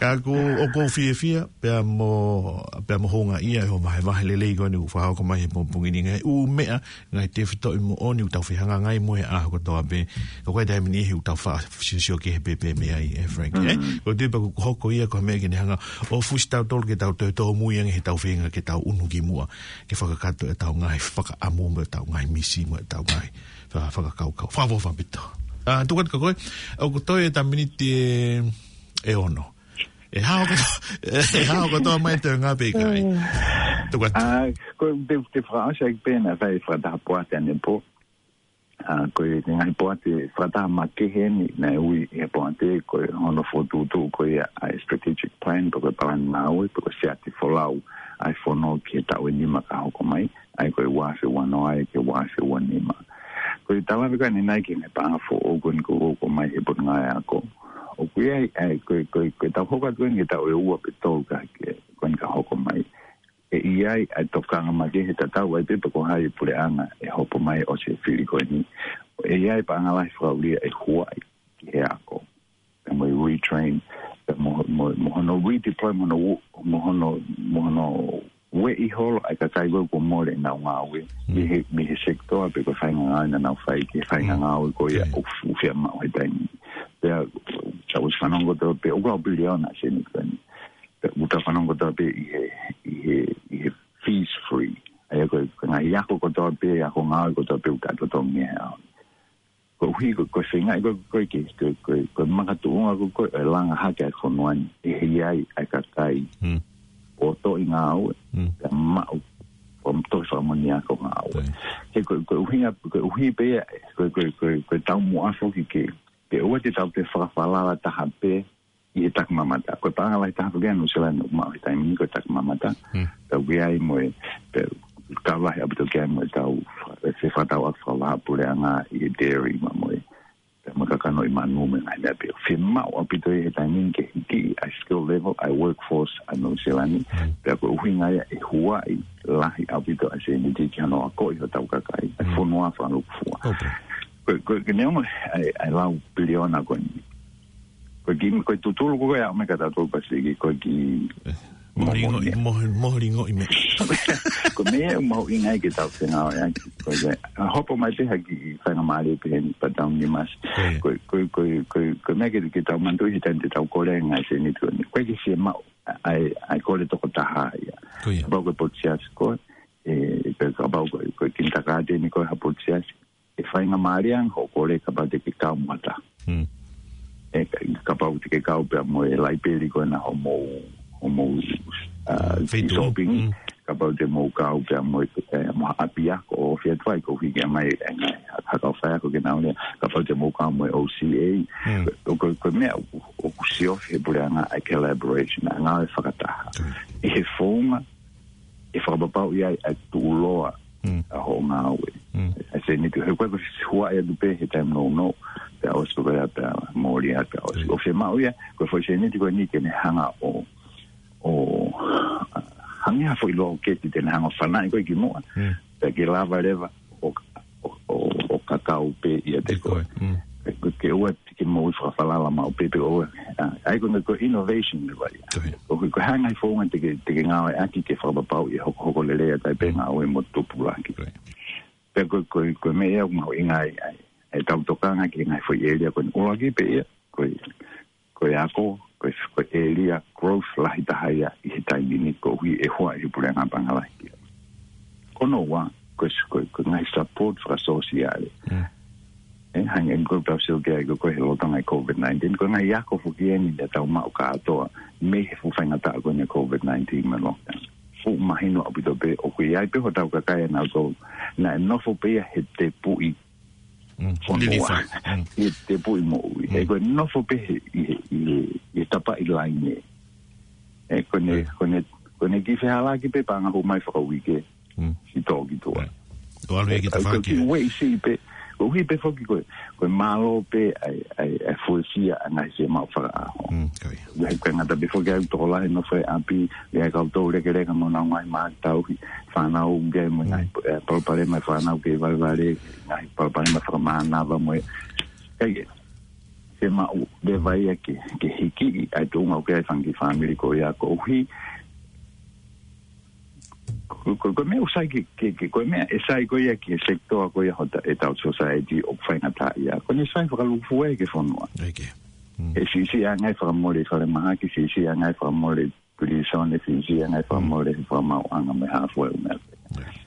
Ka ko, ʻoku ou fiefia, pea mo, pea mo houngaʻia he ʻoku vahevahe lelei ko eni ʻoku fakahoko mai he pongipongi ni ngaahi ʻū meʻa, ngaahi tefitoʻi moʻoni ʻoku tau fehangahangai mo ia he ʻaho kotoa pē. Ka ko e taimi ni he ʻoku tau fa-, siosio ki he pēpē mei ai, ʻe Frank, ʻe? Ko e tui pē ʻoku hoko ia ko e meʻa ke ne hanga ʻo fusi tautolu ke tau toe tōmui ange he tau feinga ke tau ʻunu ki muʻa. Ke fakakakato ʻetau ngaahi fakaʻamu mo ʻetau ngaahi misi mo ʻetau ngaahi fa-, fakakaukau. Fakaʻofoʻofa ʻaupito. ʻA, tuku atu ka ko e, ʻoku toe ʻeta miniti ʻe, ʻe ono. ʻE hao kotoa, ʻe hao kotoa mai te ngā pē kai. Tuku atu. ʻA, ko e te, te fakaʻosi ʻaki pē naʻe fai fakataha poate ʻanepō. ʻA, ko e ngaahi poate fakataha makehe ni, naʻe ui he poate, ko e hono fokotuʻutuʻu ko ia ʻa e strategic plan, pe ko e palani ngāue, pe ko e siate folau ʻa e fono ki he taʻu ʻe nima ka hoko mai, ʻa ia ko e ua afe ua noa ki he ua afe ua nima. Ko e tala veka ni nai ki he paʻanga foʻou ko eni ko, ko mai he Potungāue Ako. ʻOku ʻi ai, ʻa ia ko e, ko e, ko e tau hoko atu eni ki he taʻu ʻe ua pe tolu ka ke, ko eni ka hoko mai. ʻE ʻi ai ʻa e tokanga makehe tatau ai pē pe ko hai e puleʻanga ʻe hopo mai ʻo se fili ko eni. ʻE ʻi ai paʻanga lahi fakaʻulia ʻe huaʻi ki he ako. Pea mo e retrain, pea mo, mo, mo hono redeploy, mo hono u-, mo hono, mo hono ueʻi holo ʻa e kakai ko ē kuo mole ʻenau ngāue. Mei he, mei he sector pe ko e faʻahinga ngāue naʻa nau fai ki he faʻahinga ngāue ko ia ʻoku fiemaʻu he taimi. Pea, tau ʻosi fanongo kotoa pē, ʻoku lau piliona sēniti ko eni. Pea ʻoku tau fanongo kotoa pē ʻi he, ʻi he, ʻi he fees free. ʻA ia ko e, ko e ngaahi ako kotoa pē, ako ngāue kotoa pē ʻoku tau totongi he ʻaho ni. Koeʻuhi ko, ko e feinga, ko, ko, ko, ko, ko e makatuʻunga ko, ko e langa hake ʻa e fonua ni, ʻe ʻi ai ʻa e kakai ʻoku toʻi ngāue, pea maʻu, ʻo toʻi fakamoʻoni ako ngāue. He ko, ko e ʻuhinga, ko e ʻuhi pē ia, ko, ko, ko, ko e taumuʻa foki ke, ke ʻoua te tau te fakafalala taha pē, ʻi he takimamata. Ko e paʻanga lahi taha ko ē ʻa Nuʻu Sila naʻe maʻu he taimi ni ko e takimamata. Tau ki ai mo e, pe, kau lahi ʻaupito ki ai mo e tau, e fefakatau ʻa e fakavahaʻapuleʻanga ʻi he dairy mo e, pe mo e kakano ʻi manu mo e ngaahi meʻa pē. Fiemaʻu ʻaupito ʻi he taimi ni ke hiki ʻa e skill level, ʻa e workforce ʻa Nuʻu Sila ni. Pea ko e ʻuhinga ia ʻe huaʻi lahi ʻaupito ʻa e sēniti ki hono akoʻi hotau kakai. ʻA e fonua fakalūkufua. Ko, ko, ko e neongo ʻa e, ʻa e lau piliona ko eni. Ko e kiʻi, ko e tutulu ko ē ʻa e ʻOmeka Tatau Pasifiki, ko e kiʻi moholingoʻi, moho-, moholingoʻi meʻa. Ko e meʻa ʻoku mahuʻinga ai ke tau fengāueʻaki. Ko e, ʻa, hopo mai pē ha kiʻi faingamālie pē heni pea tau nima. Ko ia. Ko e, ko e, ko e, ko e, ko e meʻa ke, ke tau manatuʻi he taimi te tau kole ai e ngaahi sēniti ko eni. Ko e kiʻi fiemaʻu, ʻa e, ʻa e kole tokotaha ia. Ko ia. Kapau ko e potu siasi koe, ē, pe kapau ko e, ko e kinitakāteni koe ha potu siasi, ʻe faingamālie ange hoʻo kole kapau te ke kau mo ha taha. Hmm. Ē, ka-, kapau te ke kau pea mo e laipeli ko ena hoʻomou, hoʻomou, ʻa, feituʻu. Shopping. Hmm. Kapau te mou kau pea mo e, ē, mo ha ʻapiako ʻo fie tuai ko hiki mai e ngaahi, ha, ha kau faiako ke nau lea. Kapau te mou kau mo e O C A. Hmm. Ko, ko, ko e meʻa ʻoku, ʻoku siofi he puleʻanga ʻa e collaboration, ʻa e ngāue fakataha. Hmm. ʻI he founga, ʻe fakapapauʻi ai ʻa e tuʻuloa, mm, ʻa hoʻo ngāue. Mm. ʻA e sēniti, he ko e, ko e huaʻi atu pē he taimi nounou, pea ʻosi ko ia pea mole atu pea ʻosi. Mm. ʻO fiemaʻu ia, ko e foʻi sēniti ko eni ke ne hanga ʻo, ʻo, hangē ha foʻi loketi te ne hanga ʻo fanaʻi koe ki muʻa. Mm. Pea ke lava leva ʻo, ʻo, ʻo, ʻo kakau pē ʻiate koe. Koe. Mm. Ke, ke ʻoua ke moʻui fakafalala maʻu pē pe ʻoua. ʻA, ʻa ia ko e, ko e innovation leva ia. Ko ia. Ko e, ko e hā e ngaahi founga te ke, te ke ngāueʻaki ke fakapapauʻi e hokohoko lelei ʻa e taimi pē, mm, ngāue mo tupulaki. Ko ia. Pea ko e, ko e, ko e meʻa ia ʻoku mahuʻinga ai, ʻa e, ʻa e tau tokanga ki he ngaahi foʻi ʻēlia ko eni. ʻUluaki pē ia, ko e, ko e ako, ko e, ko e ʻēlia growth lahi taha ia ʻi he taimi ni koeʻuhi ʻe huaʻi he puleʻanga paʻanga lahi ia. Ko hono ua, ko e, ko e, ko e ngaahi support fakasōsiale. Mm. Ē, hangē ko e tau sio ki ai ko e, ko e he lolotonga e COVID nineteen, ko e ngaahi ako foki eni naʻa tau maʻu kātoa mei he fuʻu faingataʻa ko eni e COVID nineteen mo e lockdown. Fuʻu mahino ʻaupito pē ʻoku ʻi ai pē hotau kakai ʻa nautolu naʻe nofo pē ia he tepuʻi, mm, fonua. Lilifa. Mm. He tepuʻi moʻui. Mm. He ko e nofo pē he, ʻi he, ʻi he, ʻi he tapaʻi laine. Ē, ko ʻene, mm, ko ʻene, ko ʻene kiʻi fehālaaki pē paʻanga hū mai fakauike. Mm. Siʻi tō ki tuʻa. Right. ʻO ʻalu ia ki tafaʻaki. Ko e kiʻi ueʻi siʻi pē, koeʻuhi pē foki ko e, ko e mālō pē ʻa e, ʻa e, ʻa e fuesia ʻa e ngaahi fiemaʻu fakaʻaho. Mm, ko ia. ʻIo, he ko e ngata pē foki ʻa e tokolahi nofo he ʻapi, ʻi ai kau tau lekeleka mo nau ngaahi mātauhi, fānau ʻoku ʻi ai mo e ngaahi, mm, ē, palopalema e fānau kei valevale, ngaahi palopalema fakamānava mo e. Kae, fiemaʻu leva ia ke, ke hiki ʻa e tuʻunga ʻoku ʻi ai e fanga kiʻi fāmili ko ia koeʻuhi. Ko, ko, ko e meʻa ʻoku sai ke, ke, ke, ko e meʻa ʻe sai ko ia ki he sekitoa ko ia hota, ʻetau society ʻoku faingataʻaʻia. Ko ʻene sai fakalūkufua ia ki he fonua. ʻIo. Mm. ʻE siʻisiʻi ange e fakamole falemahaki, siʻisiʻi ange e fakamole pilīsone, siʻisiʻi ange e fakamole, mm, he fakamaauʻanga mo e hā fua e ʻū meʻa. ʻIo.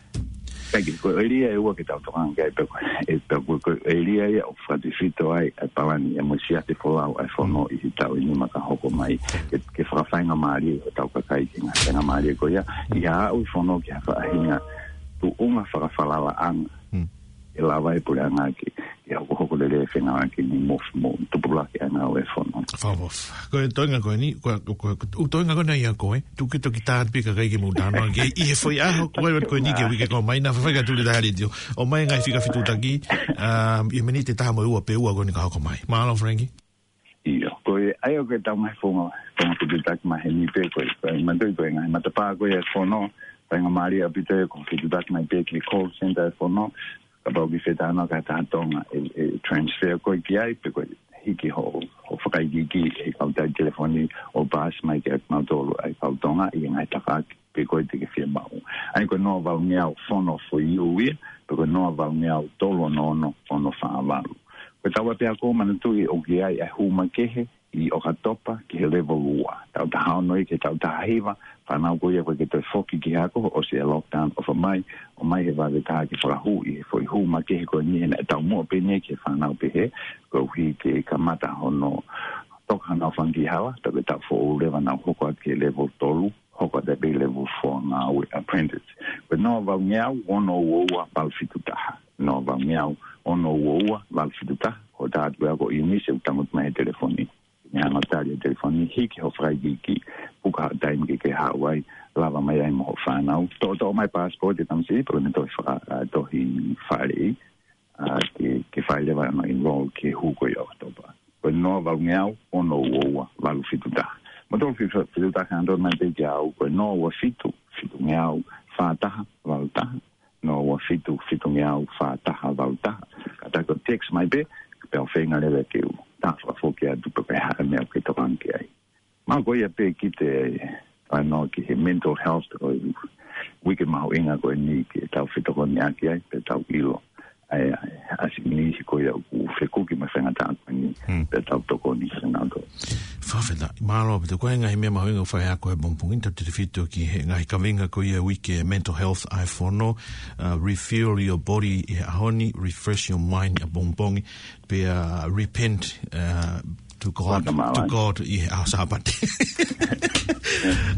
Kae kehe, ko e ʻēlia ʻe ua ke tau tokanga ki ai pē ko e, ē, pē ko e, ko e ʻēlia ia ʻoku fakatefito ai ʻa e palani ʻa e mo e siasi folau ʻa e fono, mm, ʻi he taʻu ʻe nima ka hoko mai. Ke, ke fakafaingamālie hotau kakai ki he ngaahi faingamālie ko ia. Mm. ʻI he aʻu e fono ki ha faʻahinga tuʻunga fakafalalaʻanga. Mm. ʻE lava e puleʻanga ke, ke hokohoko lelei e fengāueʻaki ni mo, mo tupulaki ʻa e ngāue e fono. Fakaʻofoʻofa. Ko e toenga ko eni, ko, ko, ko, ko e toenga ko eni ia ko e, tuku ke toki tā pē kakai ke mou talanoa ki ai ʻi he foʻi ʻaho ko ē ko eni ki he uike kau mai, naʻa faifai ka tuli taha leti ʻo, ʻomai e ngaahi fika fetuʻutaki, um, ʻi he miniti ʻe taha mo e ua pe ua ko eni ka hoko mai. Mālō, Frankie. ʻIo, ko e, ʻa ia ko e tau ngaahi founga, founga fetuʻutaki mai heni pē ko e, ko e manatuʻi ko e ngaahi matapā ko ia e fono, faingamālie ʻaupito ia ko e fetuʻutaki mai pē ki he call center e fono, kapau ʻoku ke fie talanoa ki ha taha Tonga ʻe, ʻe transfer koe ki ai, pe ko e hiki hoʻo, hoʻo fakaikiiki he kau tali telefoni ʻo paasi mai kiate kimautolu ʻa e kau Tonga ʻi he ngaahi tafaʻaki pe ko e te ke fiemaʻu. ʻA ia ko e noa valungeau fono for you ia, pe ko e noa valungeau tolu ono ono ono fā valu. Ko e tau ʻapiako manatuʻi ʻoku ʻi ai ʻa e hū makehe ʻi ʻOkatopa ki he level ua. Taʻu taha ono ia ki he taʻu taha hiva, fānau ko ia ʻoku ʻikai ke toe foki ki he ako, ʻosi e lockdown, ʻofa mai, ʻomai he vave taha ke fakahū ʻi he foʻi hū makehe ko eni he naʻe taumuʻa pē eni ki he fānau pehē, koeʻuhi ke kamata hono toka honau fanga kiʻi hala, toki taʻu foʻou leva nau hoko atu ki he level tolu, hoko atu pē level four ngāue apprentice. Ko e noa valungeau ono ua ua valu fitu taha. Noa valungeau ono ua ua valu fitu taha. Ko e tā atu ia ko ʻIunise ʻoku tangutu mai he telefoni. Neongo tali e telefoni, hiki hoʻo fakaikiiki, puka ha taimi ke ke haʻu ai, lava mai ai mo hoʻo fānau. Toʻotoʻo mai passport e tamasiʻi, pea ko ʻene tohi faka-, ʻa, tohi faleʻi, ʻa, ke, ke fai leva hono enroll ki he hū ko ia ʻo ʻOkatopa. Ko e noa valungeau ono ua ua valu fitu taha. Mou toki fe-, fetuʻutaki ʻanenai pē kiate au, ko e noa ua fitu, fitungeau fā taha valu taha, noa ua fitu, fitungeau fā taha valu taha. Kātaki ʻo text mai pē, pea ʻoku feinga leva ke u tā fakafoki atu pē pe ha meʻa ʻoku ke tokanga ki ai. Mahalo ko ia pē ke te talanoa ki he mental health ʻo e uike mahuʻinga ko eni ke tau fetokoniʻaki ai, pea tau ʻilo ai, ai, ʻa siʻi niʻihi ko ia ʻoku fekuki mo e faingataʻa ko eni, Hmm. pea tau tokoni ki he ngāue. Fakafetaʻi, mālō, pea ko e ngaahi meʻa mahuʻinga ʻoku fai ʻaki ʻe he pongipongi ni, tautefito ki he ngaahi kaveinga ko ia uike mental health ʻa e fono, uh, refuel your body ʻi he ʻaho ni, refresh your mind ʻapongipongi, pea repent, uh, to God, Waka mālō. to God ʻi he ʻaho Sāpate.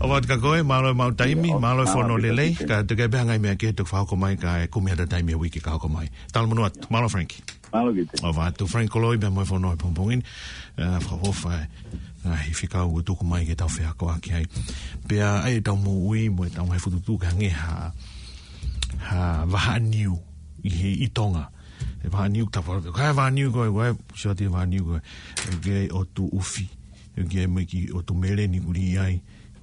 ʻOfa atu kia koe, mālō e maʻu taimi, Ia, mālō e mālō fono e lelei, Pita. Ka te ke pehē ngaahi meʻa kehe ʻe toki fakahoko mai, ka e kumi atu e taimi ʻo e uike ka hoko mai. Talamonū atu, mālō Frank. Mālō Pita. ʻOfa atu Frank Koloi, pea mo e fono ʻi he pongipongi ni, uh, fakaʻofoʻofa e ngaahi fekau ʻoku tuku mai ke tau feakoʻaki ai. Pea ʻai ʻetau moʻui, mo ʻetau ngaahi fokotuʻutuʻu ke hangē ha, ha vahaʻa niu ʻi he ʻi Tonga. ʻE vahaʻa niu tapa, ko e vahaʻa niu ko ē, ko e, sio atu e vahaʻa niu ko ē. ʻOku ʻi ai e ʻotu ʻufi, ʻoku ʻi ai mo e kiʻi ʻotu meleni ʻoku lī ai,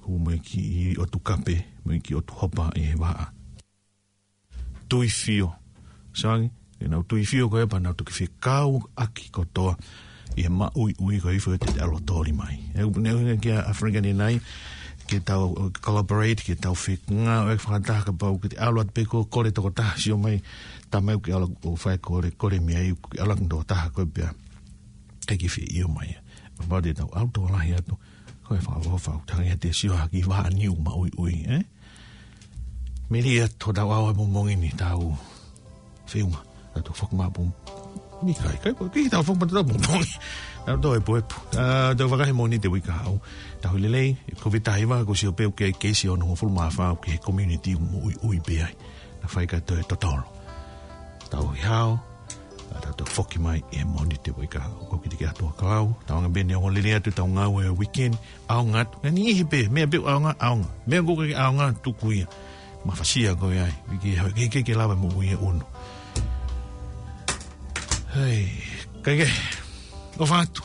ʻoku ʻi ai mo e kiʻi ʻotu kape, mo e kiʻi ʻotu hopa ʻi he vahaʻa. Tuifio. Sio ange, ke nau tuifio ko ē pea nau toki fekauʻaki kotoa ʻi he maʻuiʻui ko e hifo ʻete ʻalu ʻo toli mai. ʻE, ne ʻuhinga kia ʻAfilika ni nai, ke tau, uh, collaborate, ke tau fekauʻaki fakataha kapau ʻoku te ʻalu atu pē ko e kole tokotaha, sio mai, tama ʻoku ke ʻalu ʻo fai e kole, kole mei ai, ʻoku ke ʻalu ʻo tokotaha ko ē pea. ʻIkai ke fie ʻio mai. Kapau te tau ʻalu tokolahi atu, ko e fakaʻofoʻofa ʻoku tangi ʻete sio hake ʻi he vahaʻa niu maʻuiʻui, ē? Melie atu hotau ʻaho ʻi he pongipongi ni, tau feʻunga, tau toe foki mai ʻapongipongi. Ni kai, kai, kai, tau foki mai ʻapongipongi. Tau toe puepu. Ah, tau fakahe Mōnite uike kahaʻu. Tau lelei, Kōviti taha hiva, kuo sio pē ʻoku ʻi ai e keisi ʻe onongofulu mā fā ʻoku ʻi he community ʻoku moʻuiʻui pē ai. Naʻa faifai ka toe totolo. Tau ʻi hao, ʻa tau toe foki mai ʻi he Mōnite uike kahaʻu. Ko Kitiki atu ʻa Kalau, tau anga pē ʻene ongoongolelei atu ʻetau ngāue ʻa e weekend, ʻaonga atu. Ngaahi niʻihi pē, meʻa pē ʻoku ʻaonga, meʻa ʻoku ʻikai ke ʻaonga, tuku ia. Mafasia ko ia ai, ke, ke, ke, ke lava moʻui ʻe ʻunu. Hei, kae kehe, ʻofa atu.